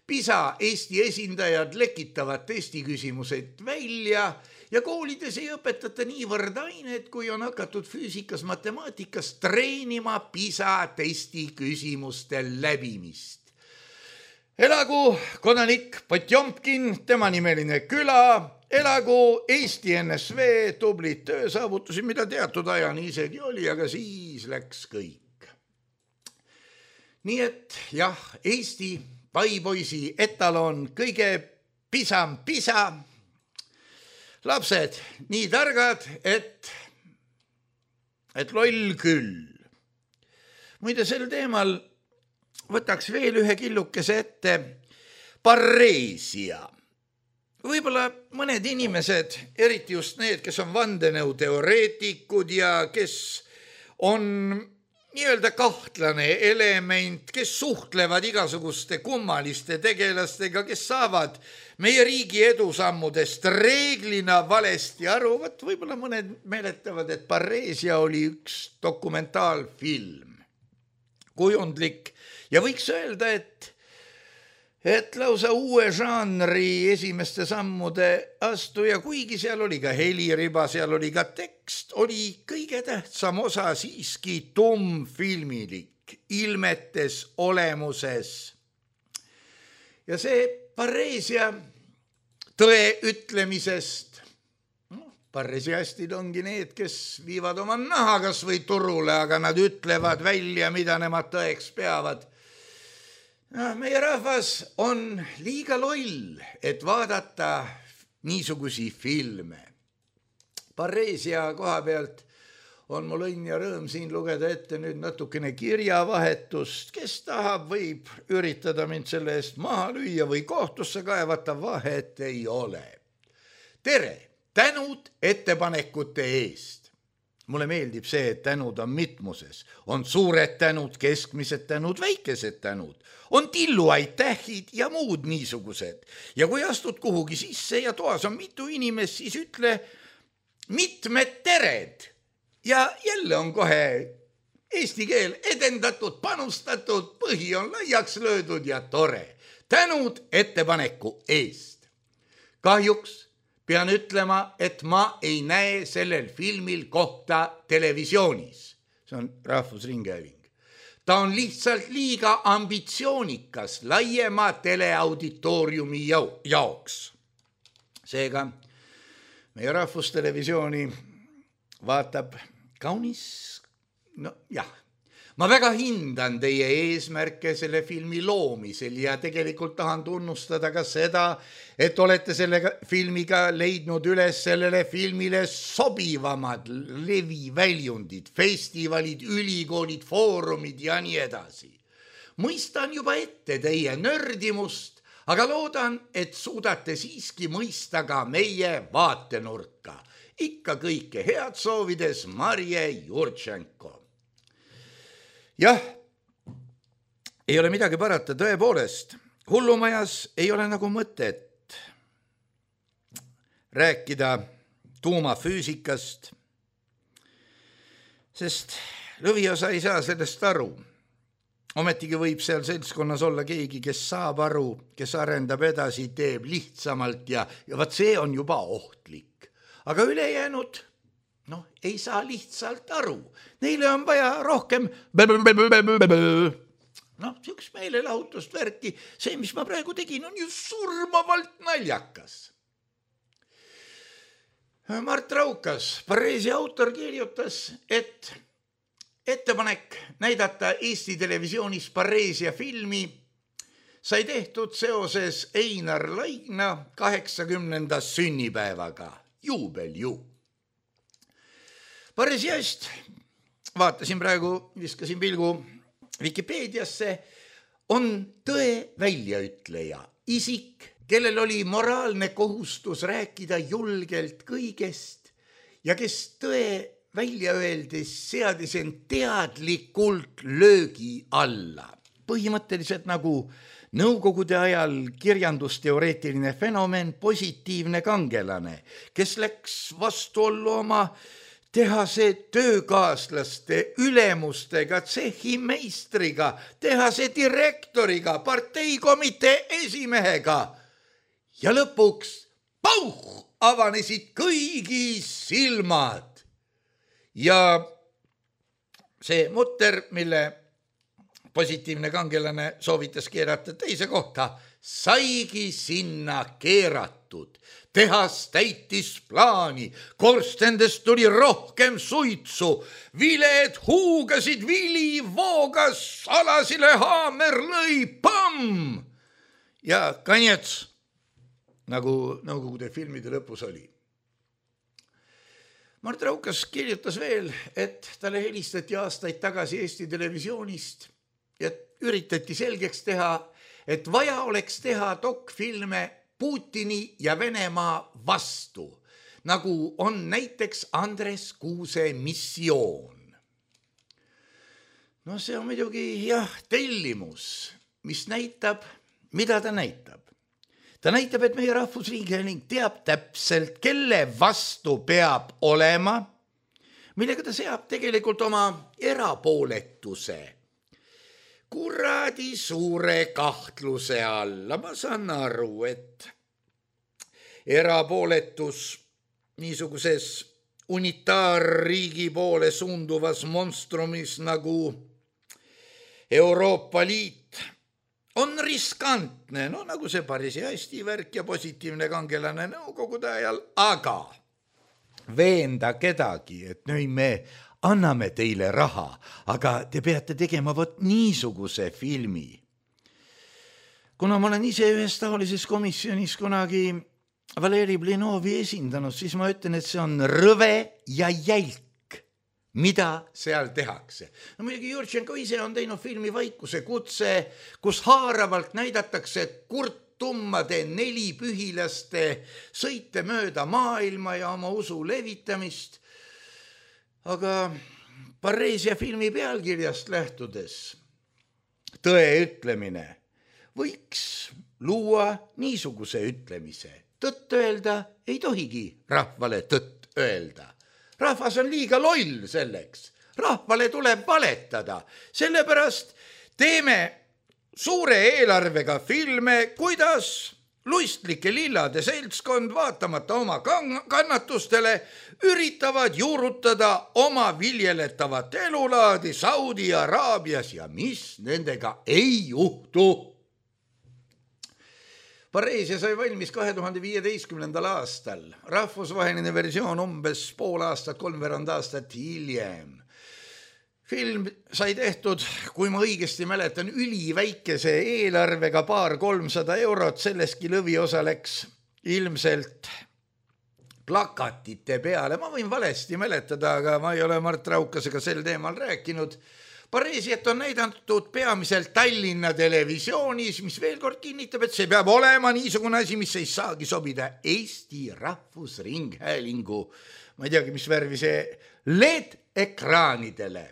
PISA Eesti esindajad lekitavad testiküsimused välja ja koolides ei õpetata niivõrd ainet, kui on hakatud füüsikas, matemaatikas treenima PISA testi küsimuste läbimist. Elagu kodanik Potjomkin, tema nimeline küla, elagu Eesti N S V, tublid töösaavutusi, mida teatud ajani isegi oli, aga siis läks kõik. Nii et jah, Eesti paipoisi etalon kõige pisam pisa. lapsed nii targad, et, et loll küll. Muide, sel teemal võtaks veel ühe killukese ette parreesia. Võib-olla mõned inimesed, eriti just need, kes on vandenõuteoreetikud ja kes on nii-öelda kahtlane element, kes suhtlevad igasuguste kummaliste tegelastega, kes saavad meie riigi edusammudest reeglina valesti aru. Võt, võib-olla mõned meeletavad, et Parreesia oli üks dokumentaalfilm, kujundlik ja võiks öelda, et et lausa uue žanri esimeste sammude astuja, kuigi seal oli ka heliriba, seal oli ka tekst, oli kõige tähtsam osa siiski tummfilmilik, ilmetes olemuses. Ja see Parreesia tõe ütlemisest, no, parreesiastid ongi need, kes viivad oma naha kas või turule, aga nad ütlevad välja, mida nemad tõeks peavad. No, meie rahvas on liiga loll, et vaadata niisugusi filme. Parreesia koha pealt on mul õnn ja rõõm siin lugeda ette nüüd natukene kirjavahetust. Kes tahab, võib üritada mind selle eest maha lüüa või kohtusse kaevata, vahet ei ole. Tere, tänud ettepanekute eest. Mulle meeldib see, et tänud on mitmuses. On suured tänud, keskmised tänud, väikesed tänud. On tilluaitähid ja muud niisugused. Ja kui astud kuhugi sisse ja toas on mitu inimest, siis ütle mitmed tered. Ja jälle on kohe eesti keel edendatud, panustatud, põhi on laiaks löödud ja tore. Tänud ettepaneku eest. Kahjuks pean ütlema, et ma ei näe sellel filmil kohta televisioonis. See on Rahvusringhääling. Ta on lihtsalt liiga ambitsioonikas laiema teleauditooriumi jaoks. Seega meie Rahvustelevisiooni vaatab kaunis, no jah, ma väga hindan teie eesmärke selle filmi loomisel ja tegelikult tahan tunnustada ka seda, et olete selle filmiga leidnud üles sellele filmile sobivamad leviväljundid, festivalid, ülikoolid, foorumid ja nii edasi. Mõistan juba ette teie nördimust, aga loodan, et suudate siiski mõista ka meie vaatenurka. Ikka kõike head soovides Marje Jurtšenko. Jah, ei ole midagi parata, tõepoolest. Hullumajas ei ole nagu mõtet rääkida tuumafüüsikast, sest lõviosa ei saa sellest aru. Ometigi võib seal seltskonnas olla keegi, kes saab aru, kes arendab edasi, teeb lihtsamalt ja, ja vaat see on juba ohtlik. Aga ülejäänud, noh, ei saa lihtsalt aru. Neile on vaja rohkem noh, üks meelelahutust värki. See, mis ma praegu tegin, on ju surmavalt naljakas. Mart Raukas, Parreesia autor, kirjutas, et ettepanek näidata Eesti televisioonis Parreesia filmi sai tehtud seoses Einar Laigna kaheksakümnenda sünnipäevaga. Juubel ju. Parreesiast vaatasin praegu, viskasin pilgu Wikipeediasse, on tõe väljaütleja, isik, kellel oli moraalne kohustus rääkida julgelt kõigest ja kes tõe välja öeldes seadis end teadlikult löögi alla. Põhimõtteliselt nagu nõukogude ajal kirjandusteoreetiline fenomen, positiivne kangelane, kes läks vastuollu oma tehase töökaaslaste, ülemustega, tsehhimeistriga, tehase direktoriga, parteikomitee esimehega. Ja lõpuks pauh, avanesid kõigi silmad. Ja see mutter, mille positiivne kangelane soovitas keerata teise kohta, saigi sinna keeratud. Tehas täitis plaani, korstendest tuli rohkem suitsu, viled huugasid, vili voogas, alasile haamer lõi, pamm! Ja kanjets, nagu nõukogude filmide lõpus oli. Mart Raukas kirjutas veel, et talle helistati aastaid tagasi Eesti Televisioonist ja üritati selgeks teha, et vaja oleks teha dokfilme Putini ja Venemaa vastu, nagu on näiteks Andres Kuuse Missioon. No see on muidugi jah, tellimus, mis näitab, mida ta näitab. Ta näitab, et meie Rahvusringhääling teab täpselt, kelle vastu peab olema, millega ta seab tegelikult oma erapooletuse. Kuradi suure kahtluse alla. Ma saan aru, et erapooletus niisuguses unitaarriigi poole suunduvas monstrumis nagu Euroopa Liit on riskantne, no nagu see päris hästi värk ja positiivne kangelane nõukogude ajal, aga veenda kedagi, et nüüd me anname teile raha, aga te peate tegema vot niisuguse filmi. Kuna ma olen ise ühes taolises komisjonis kunagi Valeri Blinovi esindanud, siis ma ütlen, et see on rõve ja jälk, mida seal tehakse. No muidugi Jurtšenko ise on teinud filmi Vaikuse kutse, kus haaravalt näidatakse kurttummade nelipühilaste sõite mööda maailma ja oma usu levitamist. Aga Pareesia filmi pealkirjast lähtudes tõe ütlemine võiks luua niisuguse ütlemise. Tõtt öelda ei tohigi rahvale tõtt öelda. Rahvas on liiga loll selleks. Rahvale tuleb valetada. Sellepärast teeme suure eelarvega filme, kuidas luistlike lillade seltskond vaatamata oma kannatustele üritavad juurutada oma viljeletavat elulaadi Saudi Araabias ja mis nendega ei juhtu. Pareesia sai valmis kahe tuhande viieteistkümnendal aastal. Rahvusvaheline versioon umbes pool aastat, kolmveerand aastat hiljem. Film sai tehtud, kui ma õigesti mäletan, üliväikese eelarvega paar kolmsada eurot, selleski lõviosa läks ilmselt plakatite peale. Ma võin valesti mäletada, aga ma ei ole Mart Raukasega sel teemal rääkinud. Pareesiat on näidatud peamiselt Tallinna televisioonis, mis veel kord kinnitab, et see peab olema niisugune asi, mis ei saagi sobida Eesti Rahvusringhäälingu, ma ei teagi, mis värvi see, L E D-ekraanidele.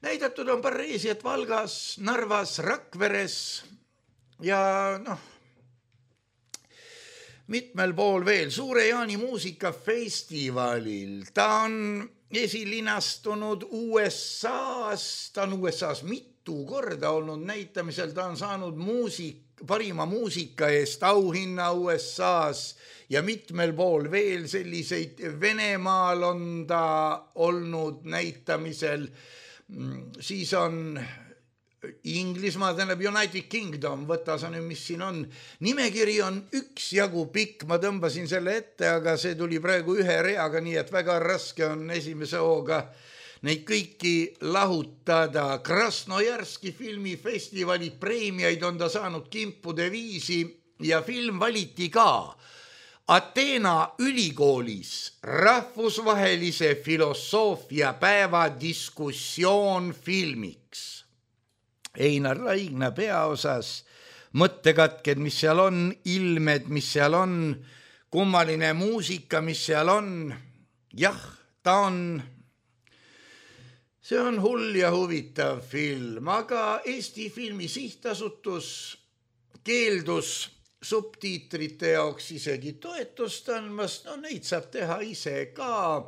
Näidatud on Pareesiat Valgas, Narvas, Rakveres ja noh, mitmel pool veel. Suure Jaani muusikafestivalil. Ta on esilinastunud U S A-s, ta on U S A-s mitu korda olnud näitamisel, ta on saanud muusik, parima muusika eest auhinna U S A-s ja mitmel pool veel selliseid. Venemaal on ta olnud näitamisel, siis on Inglismaa, tähendab United Kingdom, võta sa nüüd, mis siin on. Nimekiri on üks jagu pikk, ma tõmbasin selle ette, aga see tuli praegu ühe reaga, nii et väga raske on esimese hooga neid kõiki lahutada. Krasnojarski filmifestivali preemiaid on ta saanud kimpude viisi ja film valiti ka Ateena ülikoolis rahvusvahelise filosoofia päeva diskussioon filmiks. Einar Laigna peaosas, mõttekatked, mis seal on, ilmed, mis seal on, kummaline muusika, mis seal on. Jah, ta on, see on hull ja huvitav film, aga Eesti Filmi Sihtasutus keeldus subtiitrite jaoks isegi toetust andmast, no neid saab teha ise ka.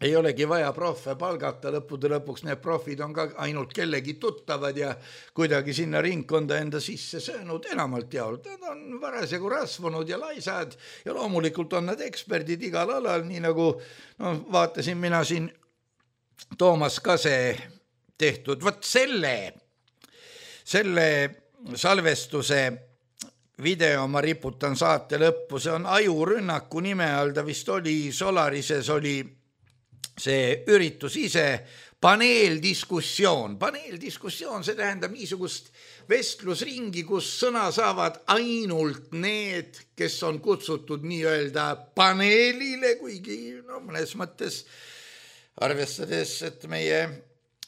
Ei olegi vaja profe palgata, lõppude lõpuks need profid on ka ainult kellegi tuttavad ja kuidagi sinna ringkonda enda sisse söönud enamalt jaolt. Nad on varasjagu rasvunud ja laisad ja loomulikult on nad eksperdid igal alal, nii nagu no, vaatasin mina siin Toomas Kase tehtud. Võt selle, selle salvestuse video ma riputan saate lõppu, see on Ajurünnaku nime all, ta vist oli Solarises oli see üritus ise, paneeldiskussioon. Paneeldiskussioon, see tähendab niisugust vestlusringi, kus sõna saavad ainult need, kes on kutsutud nii-öelda paneelile, kuigi no, mõnes mõttes arvestades, et meie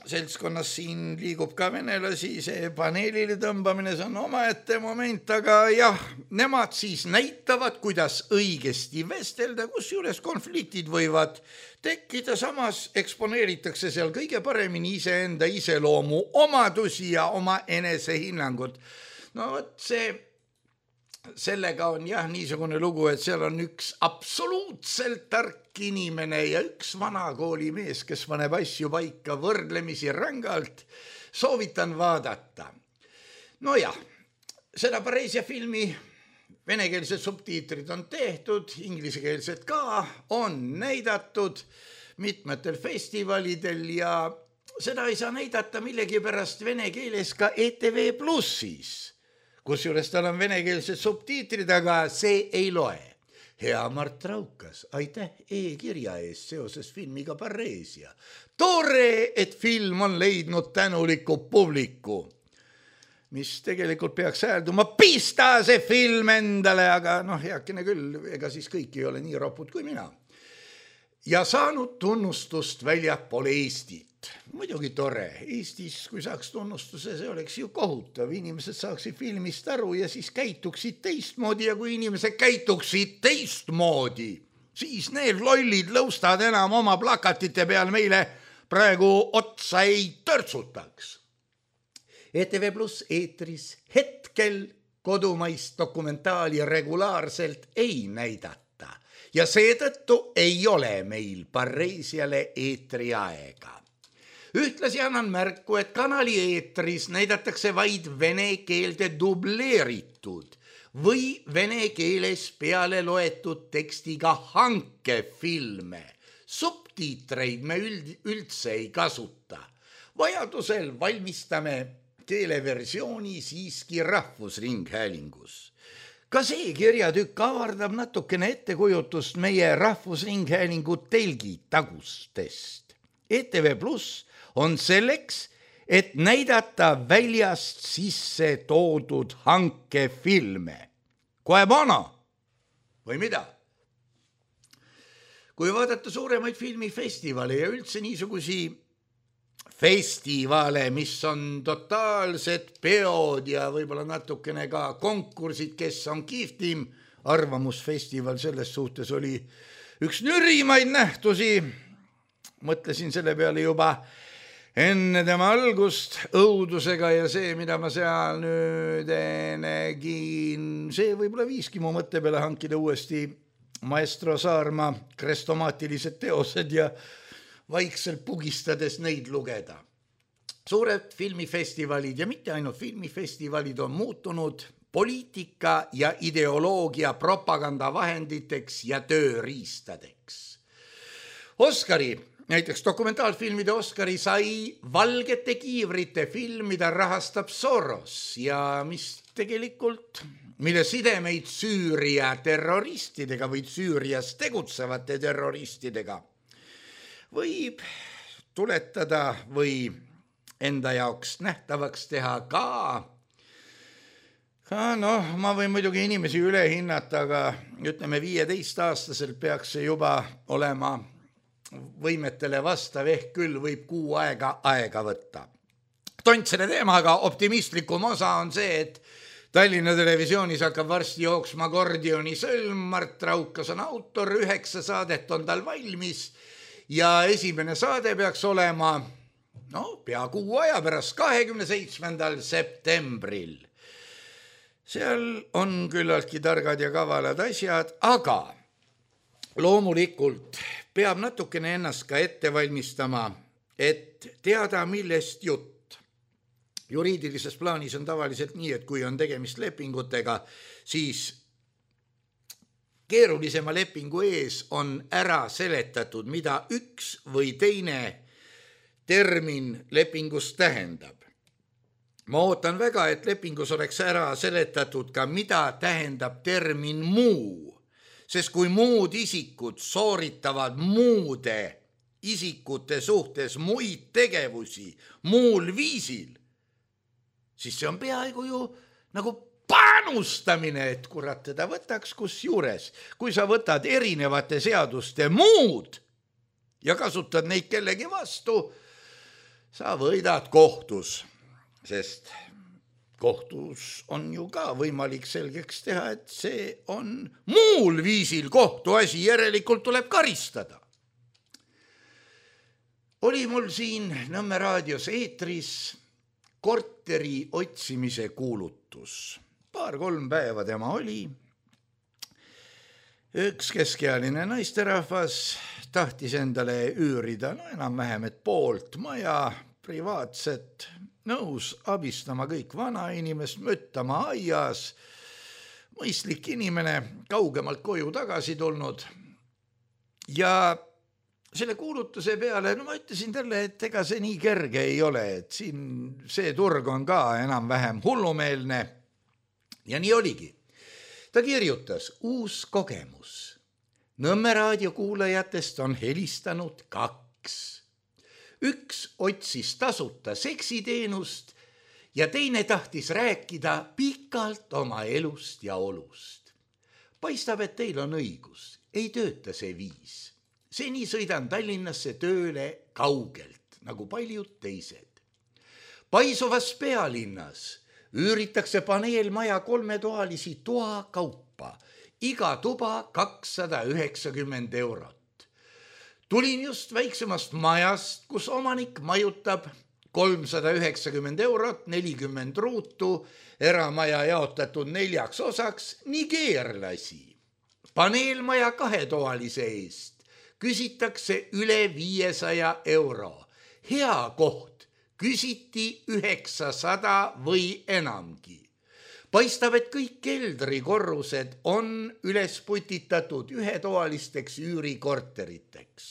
seltskonnas siin liigub ka venelasi, see paneelile tõmbamine, see on omaette moment, aga jah, nemad siis näitavad, kuidas õigesti vestelda, kus juures konfliktid võivad tekkida, samas eksponeeritakse seal kõige paremini iseenda iseloomu omadusi ja oma enesehinnangut. No võt see, sellega on jah niisugune lugu, et seal on üks absoluutselt tark inimene ja üks vanakooli mees, kes paneb asju paika võrdlemisi rängalt, soovitan vaadata. No jah, seda Pareisia filmi venekeelsed subtiitrid on tehtud, inglisekeelsed ka on näidatud mitmetel festivalidel ja seda ei saa näidata millegipärast vene keeles ka E T V Plussis, kus juures tal on venekeelsed subtiitrid, aga see ei loe. Hea Mart Raukas, aitäh e-kirja eest seoses filmiga Pareisia. Tore, et film on leidnud tänuliku publiku, mis tegelikult peaks häälduma, pista see film endale, aga noh, heakene küll, ega siis kõik ei ole nii ropud kui mina. Ja saanud tunnustust väljapool Eestit. Muidugi tore, Eestis, kui saaks tunnustuse, see oleks ju kohutav. Inimesed saaksid filmist aru ja siis käituksid teistmoodi ja kui inimesed käituksid teistmoodi, siis need lollid lõustad enam oma plakatite peal meile praegu otsa ei törtsutaks. E T V Plus eetris hetkel kodumaist dokumentaali regulaarselt ei näidata ja seetõttu ei ole meil Pareisiale eetri aega. Ühtlasi annan märku, et kanali eetris näidatakse vaid vene keelde dubleeritud või vene keeles peale loetud tekstiga hankefilme. Subtiitreid me üld, üldse ei kasuta. Vajadusel valmistame keeleversiooni siiski Rahvusringhäälingus. Ka see kirjatükk avardab natukene ettekujutust meie Rahvusringhäälingu telgi tagustest. E T V Plus on selleks, et näidata väljast sisse toodud hankefilme. Koe bono või mida? Kui vaadata suuremaid filmifestivale ja üldse niisugusi festivale, mis on totaalsed peod ja võib-olla natukene ka konkursid, kes on kihvtim, arvamusfestival selles suhtes oli üks nürimaid nähtusi. Mõtlesin selle peale juba enne tema algust õudusega ja see, mida ma seal nüüd nägin, see võib-olla viiski mu mõtte peale hankida uuesti maestro Saarma krestomaatilised teosed ja vaikselt pugistades neid lugeda. Suured filmifestivalid ja mitte ainult filmifestivalid on muutunud poliitika ja ideoloogia propagandavahenditeks ja tööriistadeks. Oscari, näiteks dokumentaalfilmide Oscari sai Valgete kiivrite film, mida rahastab Soros ja mis tegelikult, mille sidemeid Süüria terroristidega või Süürias tegutsevate terroristidega võib tuletada või enda jaoks nähtavaks teha ka. ka noh, ma võin muidugi inimesi üle hinnata, aga ütleme viieteist-aastaselt peaks see juba olema võimetele vastav, ehk küll võib kuu aega aega võtta. Tont selle teemaga optimistlikum osa on see, et Tallinna Televisioonis hakkab varsti jooksma Gordioni sõlm, Mart Raukas on autor, üheksa saadet on tal valmis ja esimene saade peaks olema no, pea kuu aja pärast, kahekümne seitsmendal septembril. Seal on küllaltki targad ja kavalad asjad, aga loomulikult peab natukene ennast ka ette valmistama, et teada, millest jutt. Juriidilises plaanis on tavaliselt nii, et kui on tegemist lepingutega, siis keerulisema lepingu ees on ära seletatud, mida üks või teine termin lepingus tähendab. Ma ootan väga, et lepingus oleks ära seletatud ka, mida tähendab termin muu, sest kui muud isikud sooritavad muude isikute suhtes muid tegevusi muul viisil, siis see on peaaegu ju nagu panustamine, et kurat teda võtaks kus juures. Kui sa võtad erinevate seaduste muud ja kasutad neid kellegi vastu, sa võidad kohtus, sest kohtus on ju ka võimalik selgeks teha, et see on muul viisil kohtuasi, järelikult tuleb karistada. Oli mul siin Nõmme raadios eetris korteri otsimise kuulutus. Paar-kolm päeva tema oli. Üks keskealine naisterahvas tahtis endale üürida, no enam-vähem, et poolt maja, privaatset, nõus abistama kõik vanainimest, mõttama aias, mõistlik inimene, kaugemalt koju tagasi tulnud. Ja selle kuulutuse peale, no ma ütlesin talle, et ega see nii kerge ei ole, et siin see turg on ka enam-vähem hullumeelne. Ja nii oligi. Ta kirjutas, uus kogemus. Nõmme raadio kuulajatest on helistanud kaks. Üks otsis tasuta seksiteenust ja teine tahtis rääkida pikalt oma elust ja olust. Paistab, et teil on õigus, ei tööta see viis. Seni sõidan Tallinnasse tööle kaugelt, nagu paljud teised. Paisuvas pealinnas üüritakse paneelmaja kolmetoalisi toa kaupa, iga tuba kakssada üheksakümmend eurot. Tulin just väiksemast majast, kus omanik majutab kolmsada üheksakümmend eurot, nelikümmend ruutu, eramaja jaotatud neljaks osaks, nigeerlasi. Paneelmaja kahetoalise eest küsitakse üle viiesaja euro. Hea koht, küsiti üheksasada või enamgi. Paistab, et kõik keldrikorrused on üles putitatud ühetoalisteks üürikorteriteks.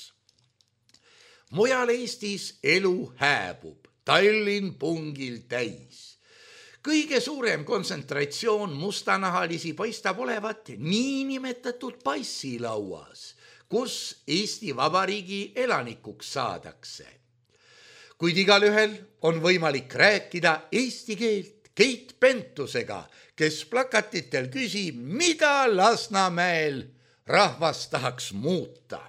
Mujal Eestis elu hääbub, Tallinn pungil täis. Kõige suurem kontsentratsioon mustanahalisi paistab olevat niinimetatud passilauas, kus Eesti Vabariigi elanikuks saadakse. Kuid igalühel on võimalik rääkida eesti keelt Keit Pentusega, kes plakatitel küsib, mida Lasnamäel rahvas tahaks muuta.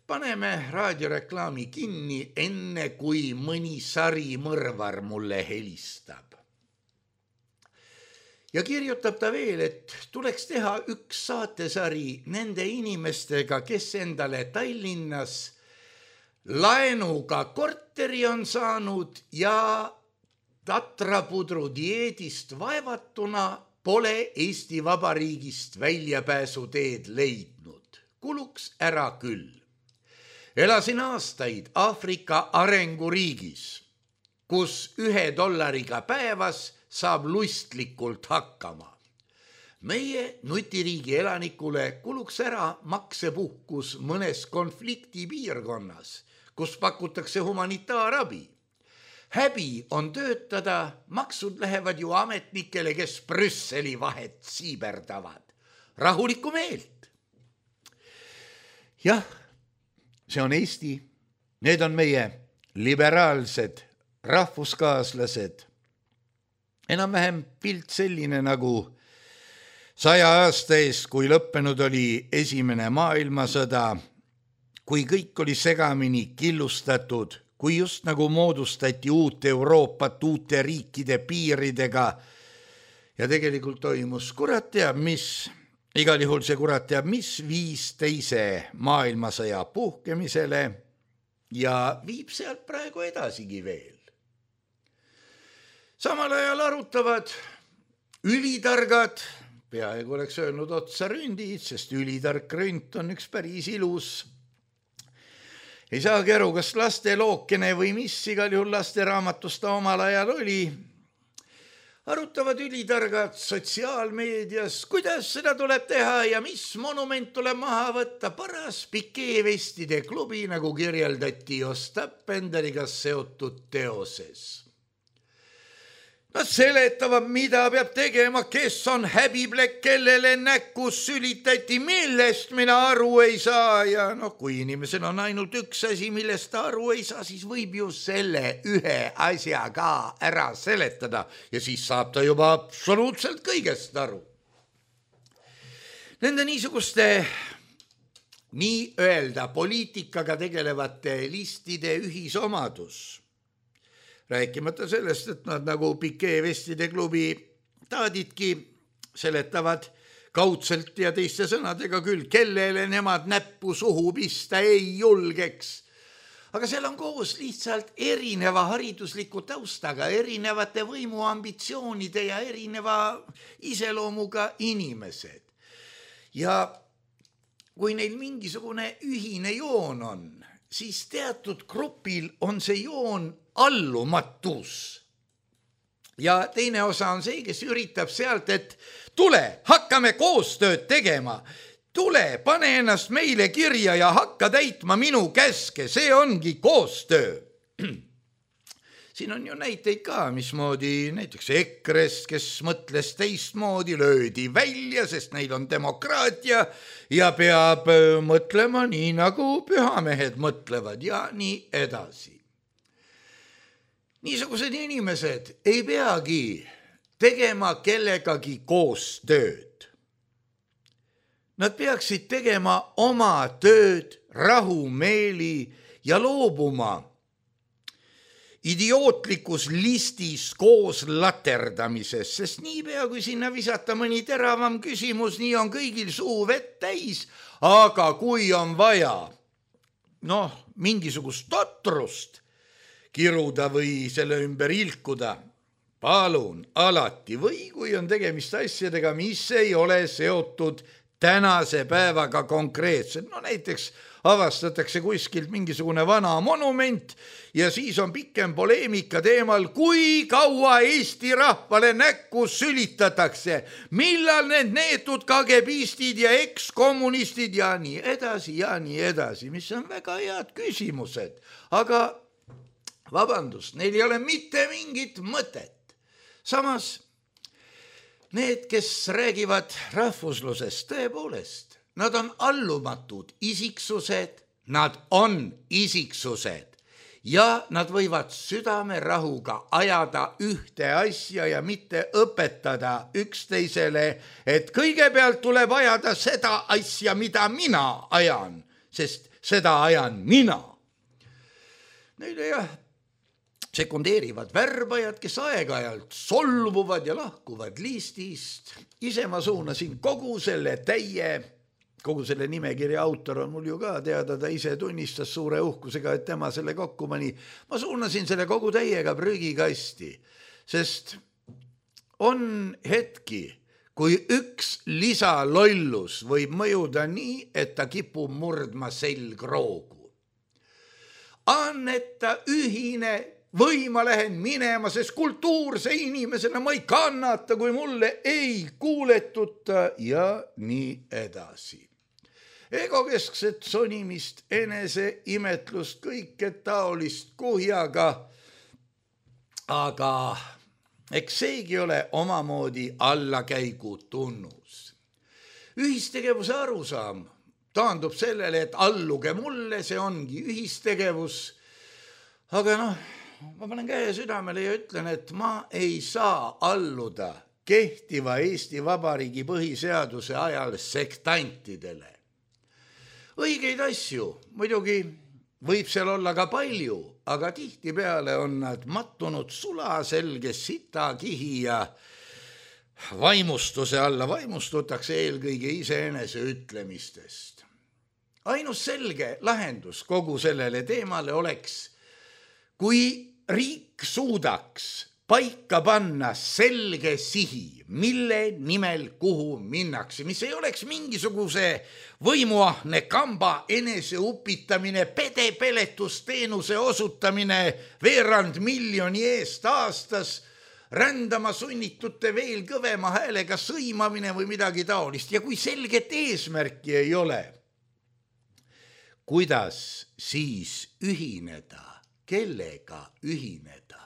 Paneme raadioreklaami kinni, enne kui mõni sari mõrvar mulle helistab. Ja kirjutab ta veel, et tuleks teha üks saatesari nende inimestega, kes endale Tallinnas laenuga korteri on saanud ja tatrapudru dieedist vaevatuna pole Eesti Vabariigist väljapääsuteed leidnud. Kuluks ära küll. Elasin aastaid Aafrika arenguriigis, kus ühe dollariga päevas saab lustlikult hakkama. Meie nutiriigi elanikule kuluks ära maksepuhkus mõnes konfliktipiirkonnas, kus pakutakse humanitaarabi. Häbi on töötada, maksud lähevad ju ametnikele, kes Brüsseli vahet siiberdavad. Rahulikku meelt. Jah, see on Eesti. Need on meie liberaalsed rahvuskaaslased. Enam-vähem pilt selline nagu saja aasta eest, kui lõppenud oli esimene maailmasõda, kui kõik oli segamini killustatud, kui just nagu moodustati uut Euroopat uute riikide piiridega ja tegelikult toimus kurat teab mis, igal juhul see kurat teab mis viis teise maailmasõja puhkemisele ja viib sealt praegu edasigi veel. Samal ajal arutavad ülitargad, peaaegu oleks öelnud otsa ründid, sest ülitark ründ on üks päris ilus. Ei saagi aru, kas laste lookene või mis, igal juhul laste raamatus ta omal ajal oli. Arutavad ülitargad sotsiaalmeedias, kuidas seda tuleb teha ja mis monument tuleb maha võtta. Paras pikeevestide klubi, nagu kirjeldati Ostap Penderiga seotud teoses. Nad seletavad, mida peab tegema, kes on häbiplekk, kellele näkkus sülitati, millest mina aru ei saa. Ja noh, kui inimesel on ainult üks asi, millest ta aru ei saa, siis võib ju selle ühe asja ka ära seletada ja siis saab ta juba absoluutselt kõigest aru. Nende niisuguste nii-öelda poliitikaga tegelevate listide ühisomadus, rääkimata sellest, et nad nagu Pikee vestide klubi taadidki seletavad kaudselt ja teiste sõnadega küll, kellele nemad näppu suhu pista ei julgeks. Aga seal on koos lihtsalt erineva haridusliku taustaga, erinevate võimuambitsioonide ja erineva iseloomuga inimesed. Ja kui neil mingisugune ühine joon on, siis teatud grupil on see joon allumatus. Ja teine osa on see, kes üritab sealt, et tule, hakkame koostööd tegema. Tule, pane ennast meile kirja ja hakka täitma minu käske, see ongi koostöö. Siin on ju näiteid ka, mismoodi näiteks EKRE-st, kes mõtles teistmoodi, löödi välja, sest neil on demokraatia ja peab mõtlema nii, nagu pühamehed mõtlevad ja nii edasi. Niisugused inimesed ei peagi tegema kellegagi koostööd. Nad peaksid tegema oma tööd rahumeeli ja loobuma idiootlikus listis koos laterdamises, sest niipea kui sinna visata mõni teravam küsimus, nii on kõigil suu vett täis, aga kui on vaja noh, mingisugust totrust kiruda või selle ümber ilkuda, palun alati, või kui on tegemist asjadega, mis ei ole seotud tänase päevaga konkreetselt, no näiteks avastatakse kuskilt mingisugune vana monument ja siis on pikem poleemika teemal, kui kaua Eesti rahvale näkku sülitatakse, millal need neetud kagebistid ja ekskommunistid ja nii edasi ja nii edasi, mis on väga head küsimused, aga vabandust, neil ei ole mitte mingit mõtet. Samas, need, kes räägivad rahvuslusest, tõepoolest, nad on allumatud isiksused, nad on isiksused ja nad võivad südamerahuga ajada ühte asja ja mitte õpetada üksteisele, et kõigepealt tuleb ajada seda asja, mida mina ajan, sest seda ajan mina. Neile jah, sekundeerivad värbajad, kes aeg-ajalt solvuvad ja lahkuvad listist. Ise ma suunasin kogu selle täie, kogu selle nimekirja autor on mul ju ka teada, ta ise tunnistas suure uhkusega, et tema selle kokku pani. Ma suunasin selle kogu täiega prügikasti, sest on hetki, kui üks lisalollus võib mõjuda nii, et ta kipub murdma selgroogu. Anneta ühine või ma lähen minema, sest kultuurse inimesena ma ei kannata, kui mulle ei kuuletuta ja nii edasi. Egokeskset sonimist, enese imetlust, kõike taolist kuhjaga, aga eks seegi ole omamoodi allakäigu tunnus. Ühistegevuse arusaam taandub sellele, et alluge mulle, see ongi ühistegevus, aga noh, ma panen käe südamele ja ütlen, et ma ei saa alluda kehtiva Eesti Vabariigi põhiseaduse ajal sektantidele. Õigeid asju, muidugi võib seal olla ka palju, aga tihtipeale on nad mattunud sulaselge sitakihi ja vaimustuse alla vaimustutakse eelkõige iseenese ütlemistest. Ainus selge lahendus kogu sellele teemale oleks, kui riik suudaks paika panna selge sihi, mille nimel kuhu minnakse, mis ei oleks mingisuguse võimuahne kamba eneseupitamine, pedepeletusteenuse osutamine veerand miljoni eest aastas, rändama sunnitute veel kõvema häälega sõimamine või midagi taolist. Ja kui selget eesmärki ei ole, kuidas siis ühineda? Kellega ühineda?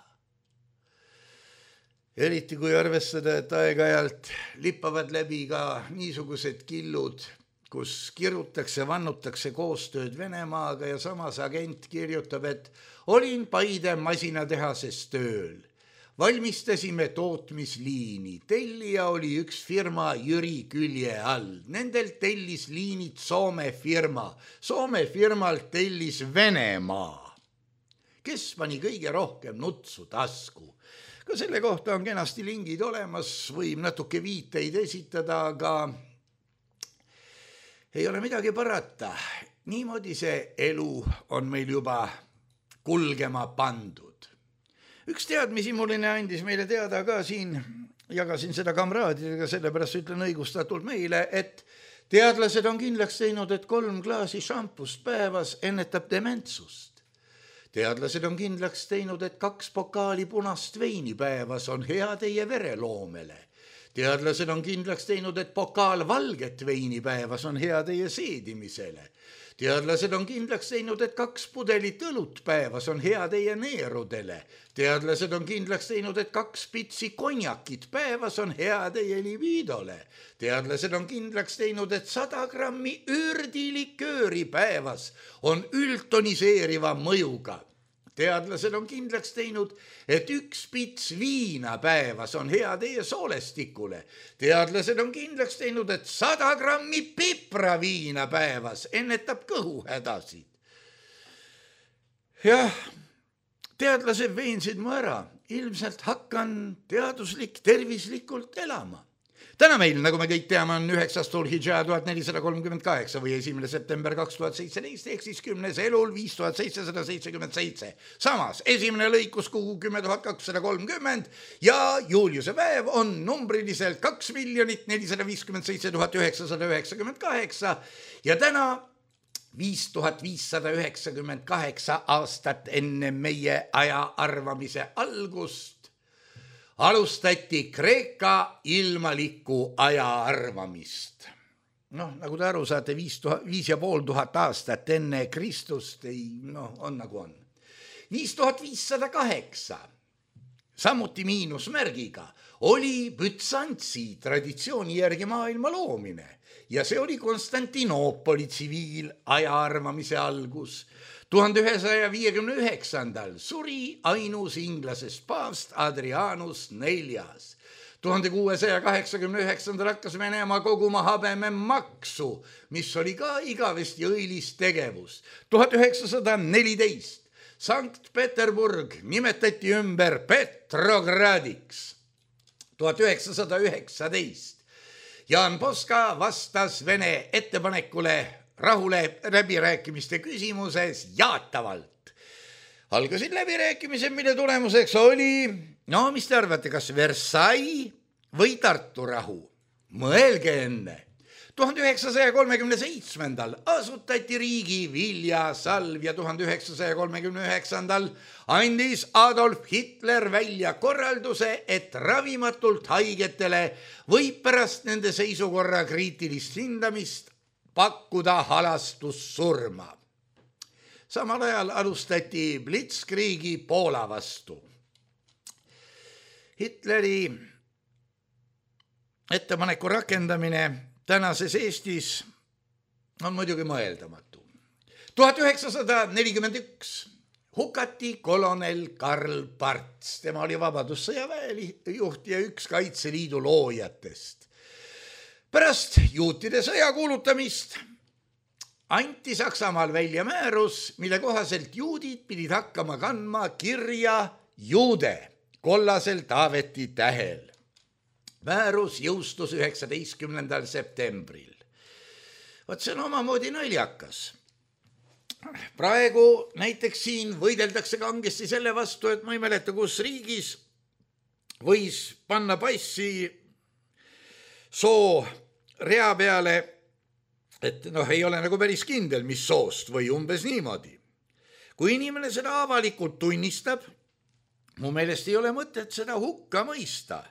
eriti kui arvestada, et aeg-ajalt lippavad läbi ka niisugused killud, kus kirutakse, vannutakse koostööd Venemaaga ja samas agent kirjutab, et olin Paide masinatehases tööl. Valmistasime tootmisliini. Tellija oli üks firma Jüri Külje all. Nendel tellis liinid Soome firma. Soome firmalt tellis Venemaa. Kes pani kõige rohkem nutsu tasku? Ka selle kohta on kenasti lingid olemas, võib natuke viiteid esitada, aga ei ole midagi parata. Niimoodi see elu on meil juba kulgema pandud. Üks teadmisimuline andis meile teada ka siin, jagasin seda kamraadidega, sellepärast ütlen õigustatult meile, et teadlased on kindlaks teinud, et kolm klaasi šampust päevas ennetab dementsust. Teadlased on kindlaks teinud, et kaks pokaali punast veini päevas on hea teie vereloomele. Teadlased on kindlaks teinud, et pokaal valget veini päevas on hea teie seedimisele. Teadlased on kindlaks teinud, et kaks pudelit õlut päevas on hea teie neerudele. Teadlased on kindlaks teinud, et kaks pitsi konjakit päevas on hea teie libiidole. Teadlased on kindlaks teinud, et sada grammi ürdilikööri päevas on üldtoniseeriva mõjuga. Teadlased on kindlaks teinud, et üks pits viina päevas on hea teie soolestikule. Teadlased on kindlaks teinud, et sada grammi pipraviina päevas ennetab kõhuhädasid. Jah, teadlased veensid mu ära. Ilmselt hakkan teaduslik tervislikult elama. Täna meil, nagu me kõik teame, on üheksas Dhul-Hidžaa tuhat nelisada kolmkümmend kaheksa või esimene september kaks tuhat seitseteist, ehk siis kümnes elul viis tuhat seitsesada seitsekümmend seitse. Samas, esimene lõikuskuu kümme tuhat kakssada kolmkümmend ja Juliuse päev on numbriliselt kaks miljonit nelisada viiskümmend seitse tuhat üheksasada üheksakümmend kaheksa ja täna viis tuhat viissada üheksakümmend kaheksa aastat enne meie aja arvamise algust alustati Kreeka ilmaliku aja arvamist. Noh, nagu te aru saate, viis, tuhat, viis ja pool tuhat aastat enne Kristust ei, noh, on nagu on. viis tuhat viissada kaheksa, samuti miinusmärgiga, oli Bütsantsi traditsiooni järgi maailma loomine ja see oli Konstantinoopoli tsiviilaja arvamise algus. tuhande ühesaja viiekümne üheksandal suri ainus inglasest paavst Adrianus neljas. tuhande kuuesaja kaheksakümne üheksandal hakkas Venemaa koguma habeme maksu, mis oli ka igavesti õilis tegevus. tuhat üheksasada neliteist Sankt-Peterburg nimetati ümber Petrogradiks. tuhat üheksasada üheksateist Jaan Poska vastas Vene ettepanekule rahule läbirääkimiste küsimuses jaatavalt. Algasid läbirääkimised, mille tulemuseks oli, no mis te arvate, kas Versailles või Tartu rahu? Mõelge enne. tuhande üheksasaja kolmekümne seitsmendal asutati riigi viljasalv ja tuhande üheksasaja kolmekümne üheksandal andis Adolf Hitler välja korralduse, et ravimatult haigetele võib pärast nende seisukorra kriitilist hindamist pakkuda halastussurma. Samal ajal alustati Blitzkriegi Poola vastu. Hitleri ettepaneku rakendamine tänases Eestis on muidugi mõeldamatu. tuhat üheksasada nelikümmend üks hukati kolonel Karl Parts. Tema oli Vabadussõjaväe juht ja üks Kaitseliidu loojatest. Pärast juutide sõja kuulutamist anti Saksamaal välja määrus, mille kohaselt juudid pidid hakkama kandma kirja juude kollasel Taaveti tähel. Määrus jõustus üheksateistkümnendal septembril. Vaat see on omamoodi naljakas. Praegu näiteks siin võideldakse kangesti selle vastu, et ma ei mäleta, kus riigis võis panna passi soo rea peale, et noh, ei ole nagu päris kindel, mis soost või umbes niimoodi. Kui inimene seda avalikult tunnistab, mu meelest ei ole mõtet seda hukka mõista.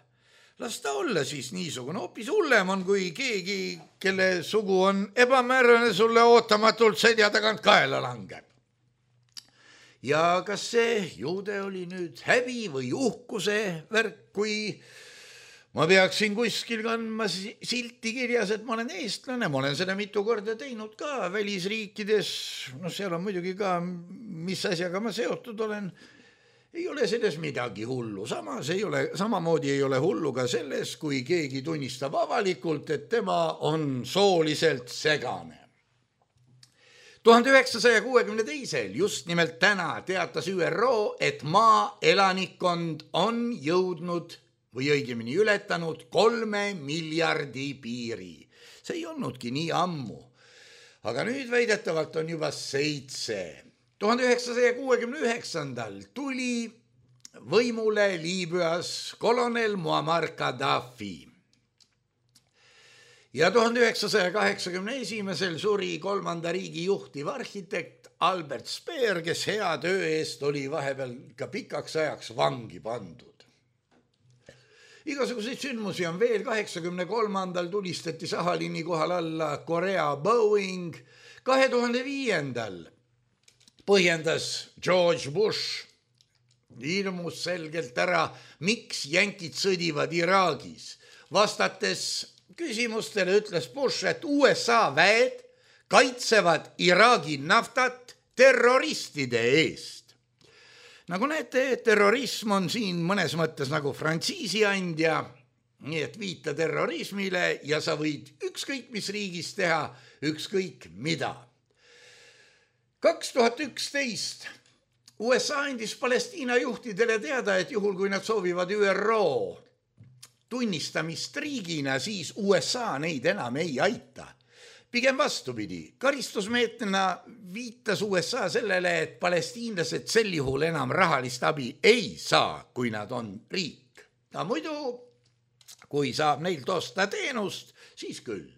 Las ta olla siis niisugune, hoopis hullem on, kui keegi, kelle sugu on ebamäärane, sulle ootamatult selja tagant kaela langeb. ja kas see juude oli nüüd häbi või uhkuse värk, kui ma peaksin kuskil kandma silti kirjas, et ma olen eestlane, ma olen seda mitu korda teinud ka välisriikides, no seal on muidugi ka, mis asjaga ma seotud olen, ei ole selles midagi hullu, samas ei ole, samamoodi ei ole hullu ka selles, kui keegi tunnistab avalikult, et tema on sooliselt segane. tuhande üheksasaja kuuekümne teisel just nimelt täna teatas Ü R O, et maa elanikkond on jõudnud või õigemini ületanud kolme miljardi piiri. See ei olnudki nii ammu. Aga nüüd väidetavalt on juba seitse. tuhande üheksasaja kuuekümne üheksandal tuli võimule Liibüas kolonel Muammar Gaddafi. Ja tuhande üheksasaja kaheksakümne esimesel suri kolmanda riigi juhtiv arhitekt Albert Speer, kes hea töö eest oli vahepeal ka pikaks ajaks vangi pandud. Igasuguseid sündmusi on veel. kaheksakümne kolmandal tulistati Sahalini kohal alla Korea Boeing. kahe tuhande viiendal põhjendas George Bush ilmus selgelt ära, miks jänkid sõdivad Iraagis. Vastates küsimustele ütles Bush, et U S A väed kaitsevad Iraagi naftat terroristide eest. Nagu näete, terrorism on siin mõnes mõttes nagu frantsiisi andja, nii et viita terrorismile ja sa võid ükskõik mis riigis teha, ükskõik mida. kaks tuhat üksteist U S A andis Palestiina juhtidele teada, et juhul kui nad soovivad Ü R O tunnistamist riigina, siis U S A neid enam ei aita. Pigem vastupidi, karistusmeetmena viitas U S A sellele, et palestiinlased sel juhul enam rahalist abi ei saa, kui nad on riik. Ja muidu, kui saab neilt osta teenust, siis küll.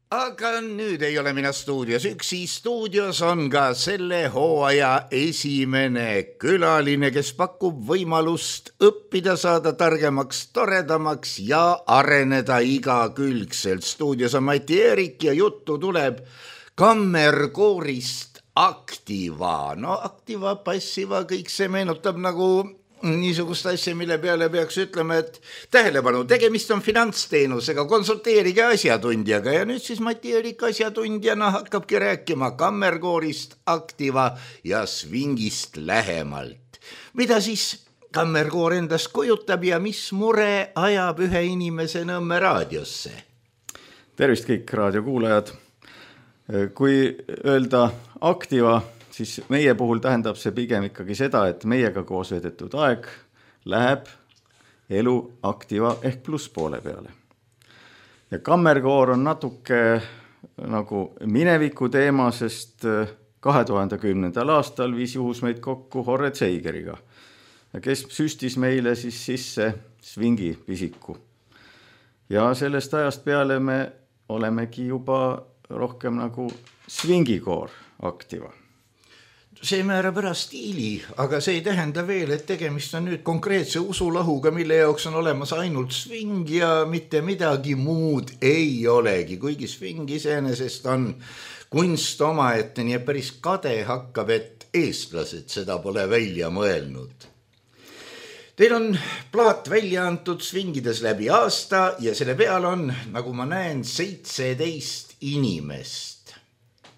Aga nüüd ei ole mina stuudios üksi, stuudios on ka selle hooaja esimene külaline, kes pakub võimalust õppida, saada targemaks, toredamaks ja areneda igakülgselt. Stuudios on Mati Eerik ja juttu tuleb kammerkoorist Activa. No Activa, passiva, kõik see meenutab nagu niisugust asja, mille peale peaks ütlema, et tähelepanu, tegemist on finantsteenusega, konsulteerige asjatundjaga ja nüüd siis Mati Eerik asjatundjana hakkabki rääkima kammerkoorist Activa ja svingist lähemalt. Mida siis kammerkoor endast kujutab ja mis mure ajab ühe inimese Nõmme raadiosse? Tervist kõik raadiokuulajad. Kui öelda Activa, siis meie puhul tähendab see pigem ikkagi seda, et meiega koos vedetud aeg läheb elu Activa ehk plusspoole peale. Ja kammerkoor on natuke nagu mineviku teema, sest kahe tuhande kümnendal aastal viis juhus meid kokku Horre Zeigeriga, kes süstis meile siis sisse svingi pisiku. Ja sellest ajast peale me olemegi juba rohkem nagu svingikoor Activa. See määrab ära stiili, aga see ei tähenda veel, et tegemist on nüüd konkreetse usulahuga, mille jaoks on olemas ainult sving ja mitte midagi muud ei olegi, kuigi sving iseenesest on kunst omaette, nii et päris kade hakkab, et eestlased seda pole välja mõelnud. Teil on plaat välja antud svingides läbi aasta ja selle peal on, nagu ma näen, seitseteist inimest.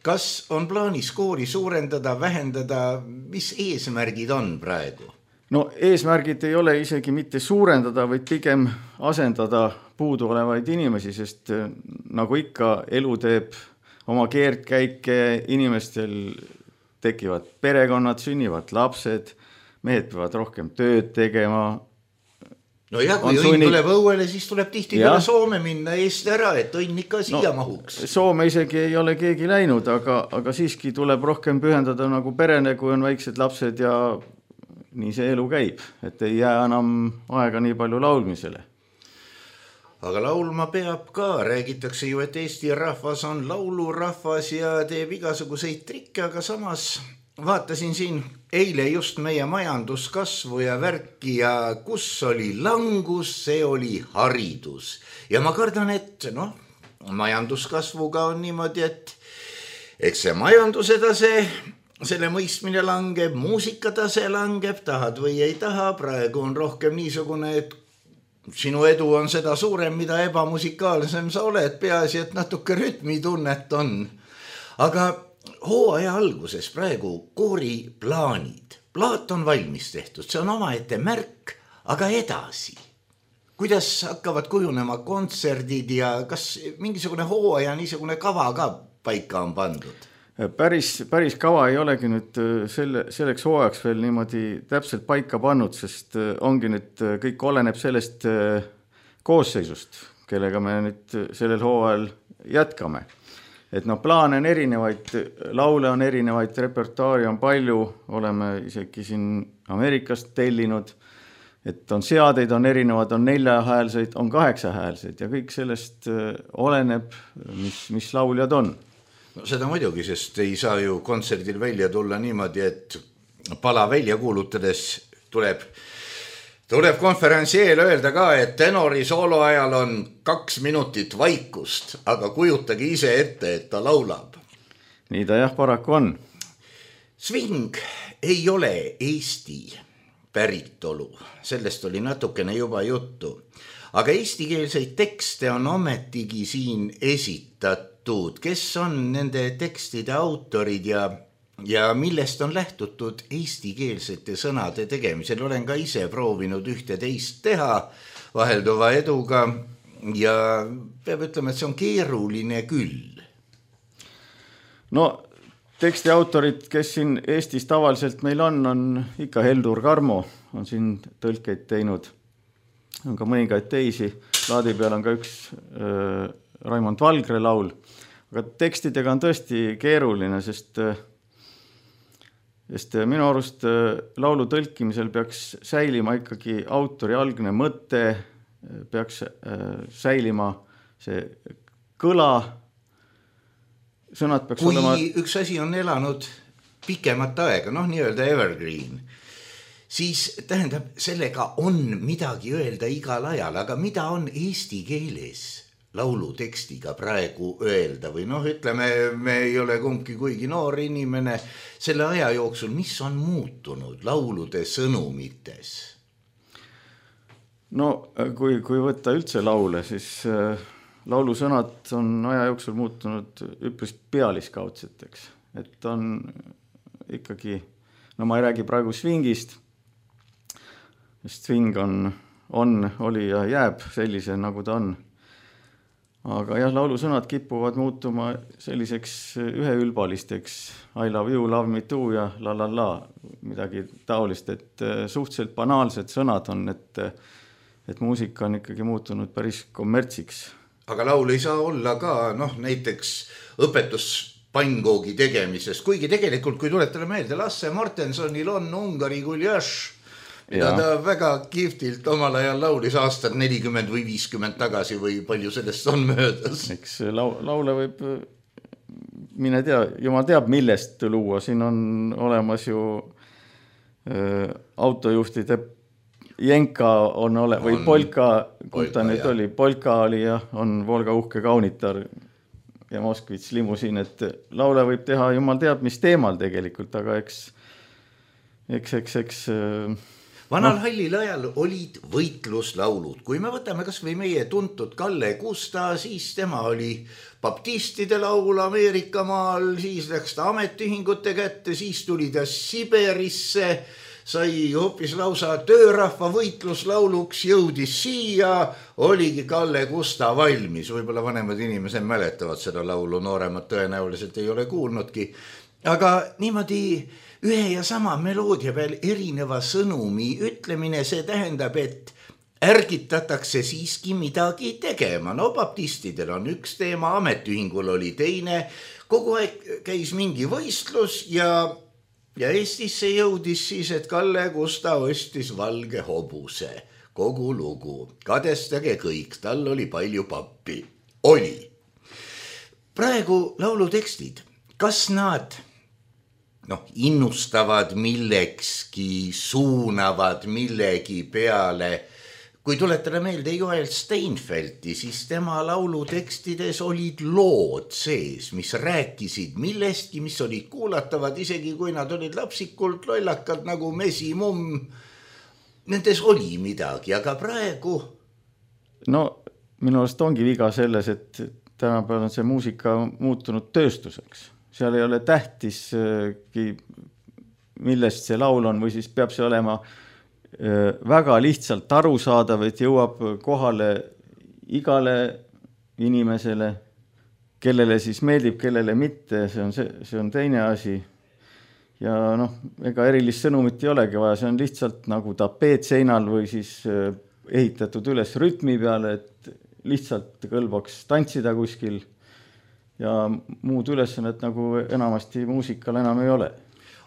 Kas on plaanis koori suurendada, vähendada, mis eesmärgid on praegu? No eesmärgid ei ole isegi mitte suurendada, vaid pigem asendada puudu olevaid inimesi, sest nagu ikka elu teeb oma keerdkäike, inimestel tekivad perekonnad, sünnivad lapsed, mehed peavad rohkem tööd tegema. No ja kui õnn sunni... tuleb õuele, siis tuleb tihti peale Soome minna eest ära, et õnn ikka siia no, mahuks. Soome isegi ei ole keegi läinud, aga, aga siiski tuleb rohkem pühendada nagu perene, kui on väiksed lapsed ja nii see elu käib, et ei jää enam aega nii palju laulmisele. Aga laulma peab ka, räägitakse ju, et Eesti rahvas on laulurahvas ja teeb igasuguseid trikke, aga samas vaatasin siin eile just meie majanduskasvu ja värki ja kus oli langus, see oli haridus. Ja ma kardan, et noh, majanduskasvuga on niimoodi, et eks see majanduse tase selle mõistmine langeb, muusikatase langeb, tahad või ei taha, praegu on rohkem niisugune, et sinu edu on seda suurem, mida ebamusikaalsem sa oled, peaasi, et natuke rütmitunnet on. Aga hooaja alguses praegu kooriplaanid, plaat on valmis tehtud, see on omaette märk, aga edasi. Kuidas hakkavad kujunema kontserdid ja kas mingisugune hooaja niisugune kava ka paika on pandud? Päris, päris kava ei olegi nüüd selle, selleks hooajaks veel niimoodi täpselt paika pannud, sest ongi nüüd kõik oleneb sellest koosseisust, kellega me nüüd sellel hooajal jätkame. Et no plaane on erinevaid, laule on erinevaid, repertuaari on palju, oleme isegi siin Ameerikast tellinud, et on seadeid, on erinevad, on neljahäälseid, on kaheksahäälseid ja kõik sellest oleneb, mis, mis lauljad on. No seda muidugi, sest ei saa ju kontserdil välja tulla niimoodi, et pala välja kuulutades tuleb, tuleb konverentsi eel öelda ka, et tenori soolo ajal on kaks minutit vaikust, aga kujutage ise ette, et ta laulab. Nii ta jah, paraku on. Swing ei ole Eesti päritolu, sellest oli natukene juba juttu, aga eestikeelseid tekste on ometigi siin esitatud. Kes on nende tekstide autorid ja, ja millest on lähtutud eestikeelsete sõnade tegemisel? Olen ka ise proovinud ühte teist teha vahelduva eduga ja peab ütlema, et see on keeruline küll. No teksti autorid, kes siin Eestis tavaliselt meil on, on ikka Heldur Karmo, on siin tõlkeid teinud, on ka mõningaid teisi, laadi peal on ka üks äh, Raimond Valgre laul, aga tekstidega on tõesti keeruline, sest, sest minu arust laulu tõlkimisel peaks säilima ikkagi autori algne mõte, peaks säilima see kõla, sõnad peaks kui olema... üks asi on elanud pikemat aega, noh nii-öelda evergreen, siis tähendab, sellega on midagi öelda igal ajal, aga mida on eesti keeles laulu tekstiga praegu öelda või noh, ütleme, me ei ole kumbki kuigi noor inimene, selle aja jooksul, mis on muutunud laulude sõnumites? No kui, kui võtta üldse laule, siis laulu sõnad on aja jooksul muutunud üpris pealiskaudseteks, et on ikkagi, no ma ei räägi praegu swingist, sest swing on, on, oli ja jääb sellise, nagu ta on. Aga jah, laulu sõnad kipuvad muutuma selliseks üheülbalisteks I love you, love me too ja la la la, midagi taolist, et suhteliselt banaalsed sõnad on, et, et muusika on ikkagi muutunud päris kommertsiks. Aga laul ei saa olla ka, noh, näiteks õpetuspangoogi tegemisest, kuigi tegelikult, kui tuletame meelde, Lasse Mortensonil on Ungari guljaš, mida ta väga kihvtilt omal ajal laulis aastat nelikümmend või viiskümmend tagasi või palju sellest on möödas. Eks lau, laule võib, mine tea, jumal teab millest luua, siin on olemas ju äh, autojuhtide Jenka on ole, või on, Polka, kui ta nüüd jah. oli, Polka oli ja on Volga uhke kaunitar ja Moskvits limusiin, et laule võib teha jumal teab mis teemal tegelikult, aga eks, eks, eks, eks äh, Vanal no. Hallil ajal olid võitluslaulud. Kui me võtame kas või meie tuntud Kalle Kusta, siis tema oli baptistide laul Ameerikamaal, siis läks ta ametiühingute kätte, siis tuli ta Siberisse, sai hoopis lausa töörahva võitluslauluks, jõudis siia, oligi Kalle Kusta valmis. Võib-olla vanemad inimesed mäletavad seda laulu, nooremad tõenäoliselt ei ole kuulnudki. Aga niimoodi ühe ja sama meloodia peal erineva sõnumi ütlemine, see tähendab, et ärgitatakse siiski midagi tegema. No baptistidel on üks teema, ametiühingul oli teine, kogu aeg käis mingi võistlus ja, ja Eestisse jõudis siis, et Kalle Kusta ostis valge hobuse. Kogu lugu, kadestage kõik, tal oli palju pappi. Oli. Praegu laulu tekstid, kas nad... noh, innustavad millekski, suunavad millegi peale, kui tuletada meelde Joel Steinfeldti, siis tema laulu tekstides olid lood sees, mis rääkisid millestki, mis olid kuulatavad, isegi kui nad olid lapsikult lollakad nagu mesimumm. Nendes oli midagi, aga praegu... No minu arust ongi viga selles, et tänapäeval on see muusika muutunud tööstuseks. Seal ei ole tähtis, millest see laul on, või siis peab see olema väga lihtsalt aru saadav, et jõuab kohale igale inimesele, kellele siis meeldib, kellele mitte, see on, see, see on teine asi. Ja noh, ega erilist sõnumit ei olegi vaja, see on lihtsalt nagu tapeet seinal või siis ehitatud üles rütmi peale, et lihtsalt kõlbaks tantsida kuskil ja muud ülesannet nagu enamasti muusikal enam ei ole.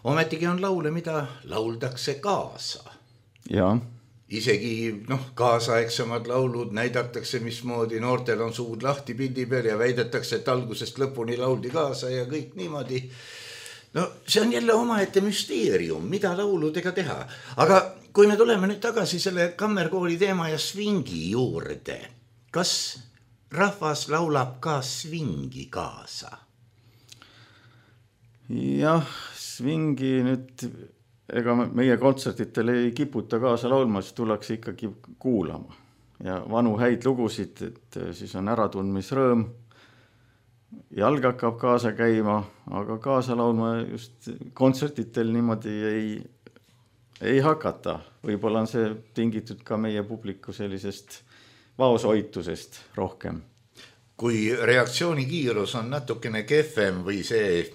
Ometigi on laule, mida lauldakse kaasa. Ja. Isegi noh, kaasaegsemad laulud näidatakse, mismoodi noortel on suud lahti pildi peal ja väidetakse, et algusest lõpuni lauldi kaasa ja kõik niimoodi. No see on jälle omaette müsteerium, mida lauludega teha. Aga kui me tuleme nüüd tagasi selle kammerkooli teema ja svingi juurde, kas rahvas laulab ka svingi kaasa? Jah, svingi nüüd... Ega meie kontsertitel ei kiputa kaasa laulma, siis tullakse ikkagi kuulama. Ja vanu häid lugusid, et siis on äratundmisrõõm. Jalg hakkab kaasa käima, aga kaasa laulma just kontsertitel niimoodi ei, ei hakata. Võib-olla on see tingitud ka meie publiku sellisest vaoshoitusest rohkem. Kui reaktsiooni kiirus on natukene kehvem või see...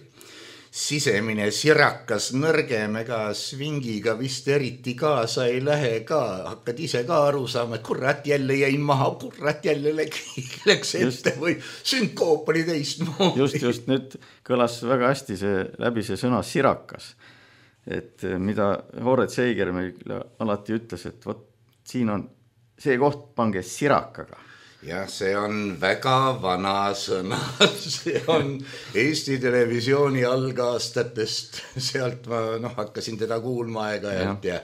sisemine sirakas nõrgem, ega svingiga vist eriti kaasa ei lähe ka. Hakkad ise ka aru saama, et kurat jälle jäin maha, kurat jälle läks ette või sünkoob oli teist moodi. Just, just nüüd kõlas väga hästi see, läbi see sõna sirakas. Et mida Horet Seiger meile alati ütles, et võt, siin on see koht, pange sirakaga. Ja see on väga vana sõna, see on Eesti televisiooni algaastatest, sealt ma noh, hakkasin teda kuulma aega-ajalt ja.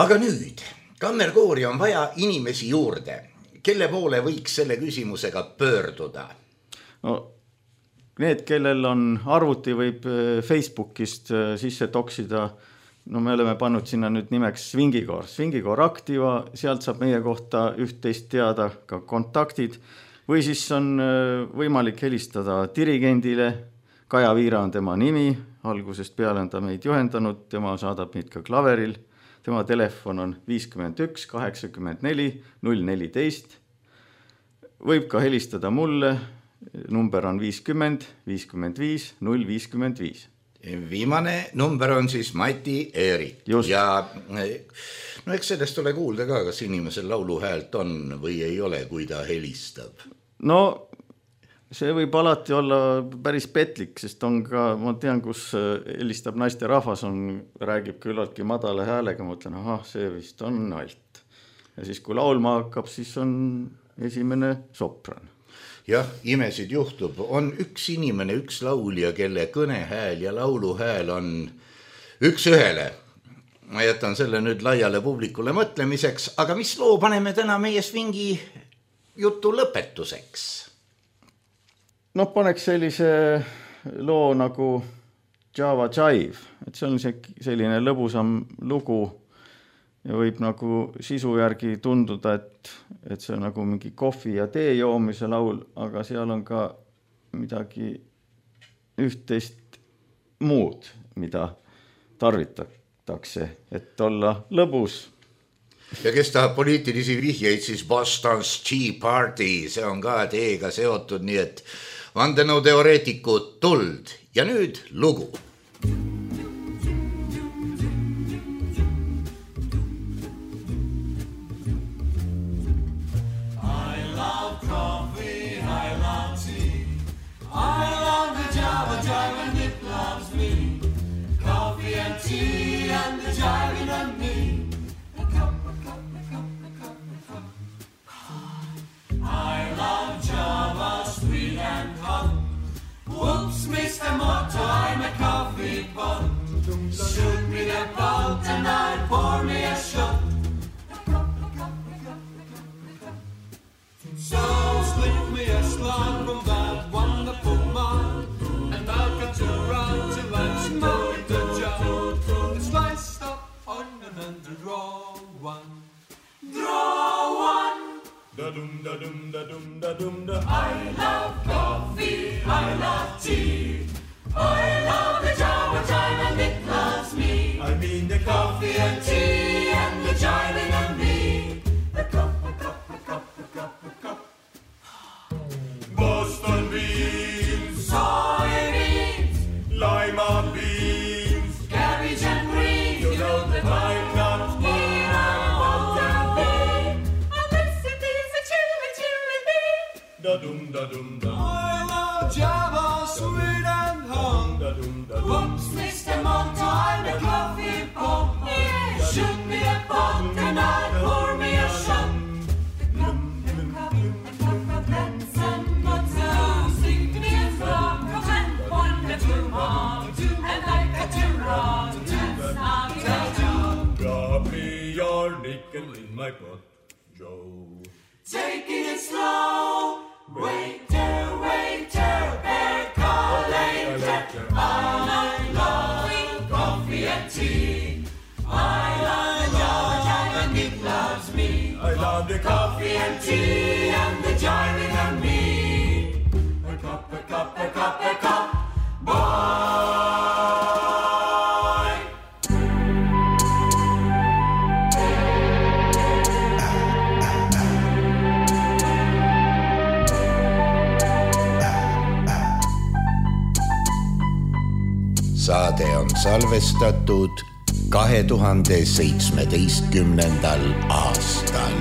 Aga nüüd, kammerkoori on vaja inimesi juurde, kelle poole võiks selle küsimusega pöörduda? No, need, kellel on arvuti, võib Facebookist sisse toksida. No me oleme pannud sinna nüüd nimeks Svingikoor. Svingikoor Aktiva, sealt saab meie kohta üht-teist teada ka kontaktid. Või siis on võimalik helistada dirigendile. Kaja Viira on tema nimi, algusest peale on ta meid juhendanud, tema saadab meid ka klaveril. Tema telefon on viiskümmend üks kaheksakümmend neli null neliteist. Võib ka helistada mulle, number on viiskümmend viiskümmend viis null viiskümmend viis. Viimane number on siis Mati Eerik. Just. Ja no eks sellest ole kuulda ka, kas inimesel lauluhäält on või ei ole, kui ta helistab. No see võib alati olla päris petlik, sest on ka, ma tean, kus helistab naiste rahvas, on, räägib küllaltki madala häälega, ma ütlen, ahah, see vist on alt. Ja siis kui laulma hakkab, siis on esimene sopran. Jah, imesid juhtub. On üks inimene, üks laulja, kelle kõnehääl ja lauluhääl on üks ühele. Ma jätan selle nüüd laiale publikule mõtlemiseks, aga mis loo paneme täna meie svingi jutu lõpetuseks? No paneks sellise loo nagu Java Jive, et see on selline lõbusam lugu ja võib nagu sisu järgi tunduda, et, et see on nagu mingi kohvi ja tee joomise laul, aga seal on ka midagi üht-teist muud, mida tarvitatakse, et olla lõbus. Ja kes tahab poliitilisi vihjeid, siis Boston's Tea Party, see on ka teega seotud, nii et vandenõuteoreetikud tuld. Ja nüüd lugu. Mister Motto, I'm a coffee. I love Java, sweet and hung. Whoops, Mister Monto, I'm a coffee pot. Yeah, shoot me a pot and I'll pour me a shot. The cup, the cup, the cup of nuts and nuts. Sing me a flock of and one, a two, one, two, and like a two, run, dance, not a two. Drop me your nickel in my pot, Joe. Taking it slow. Waiter, waiter, percolator. I love coffee and tea. I love George and Nick loves me. I love the Coffee and tea and the jiving and me. A cup, a cup, a cup, a cup, boy. Saade on salvestatud kahe tuhande seitsmeteistkümnendal aastal.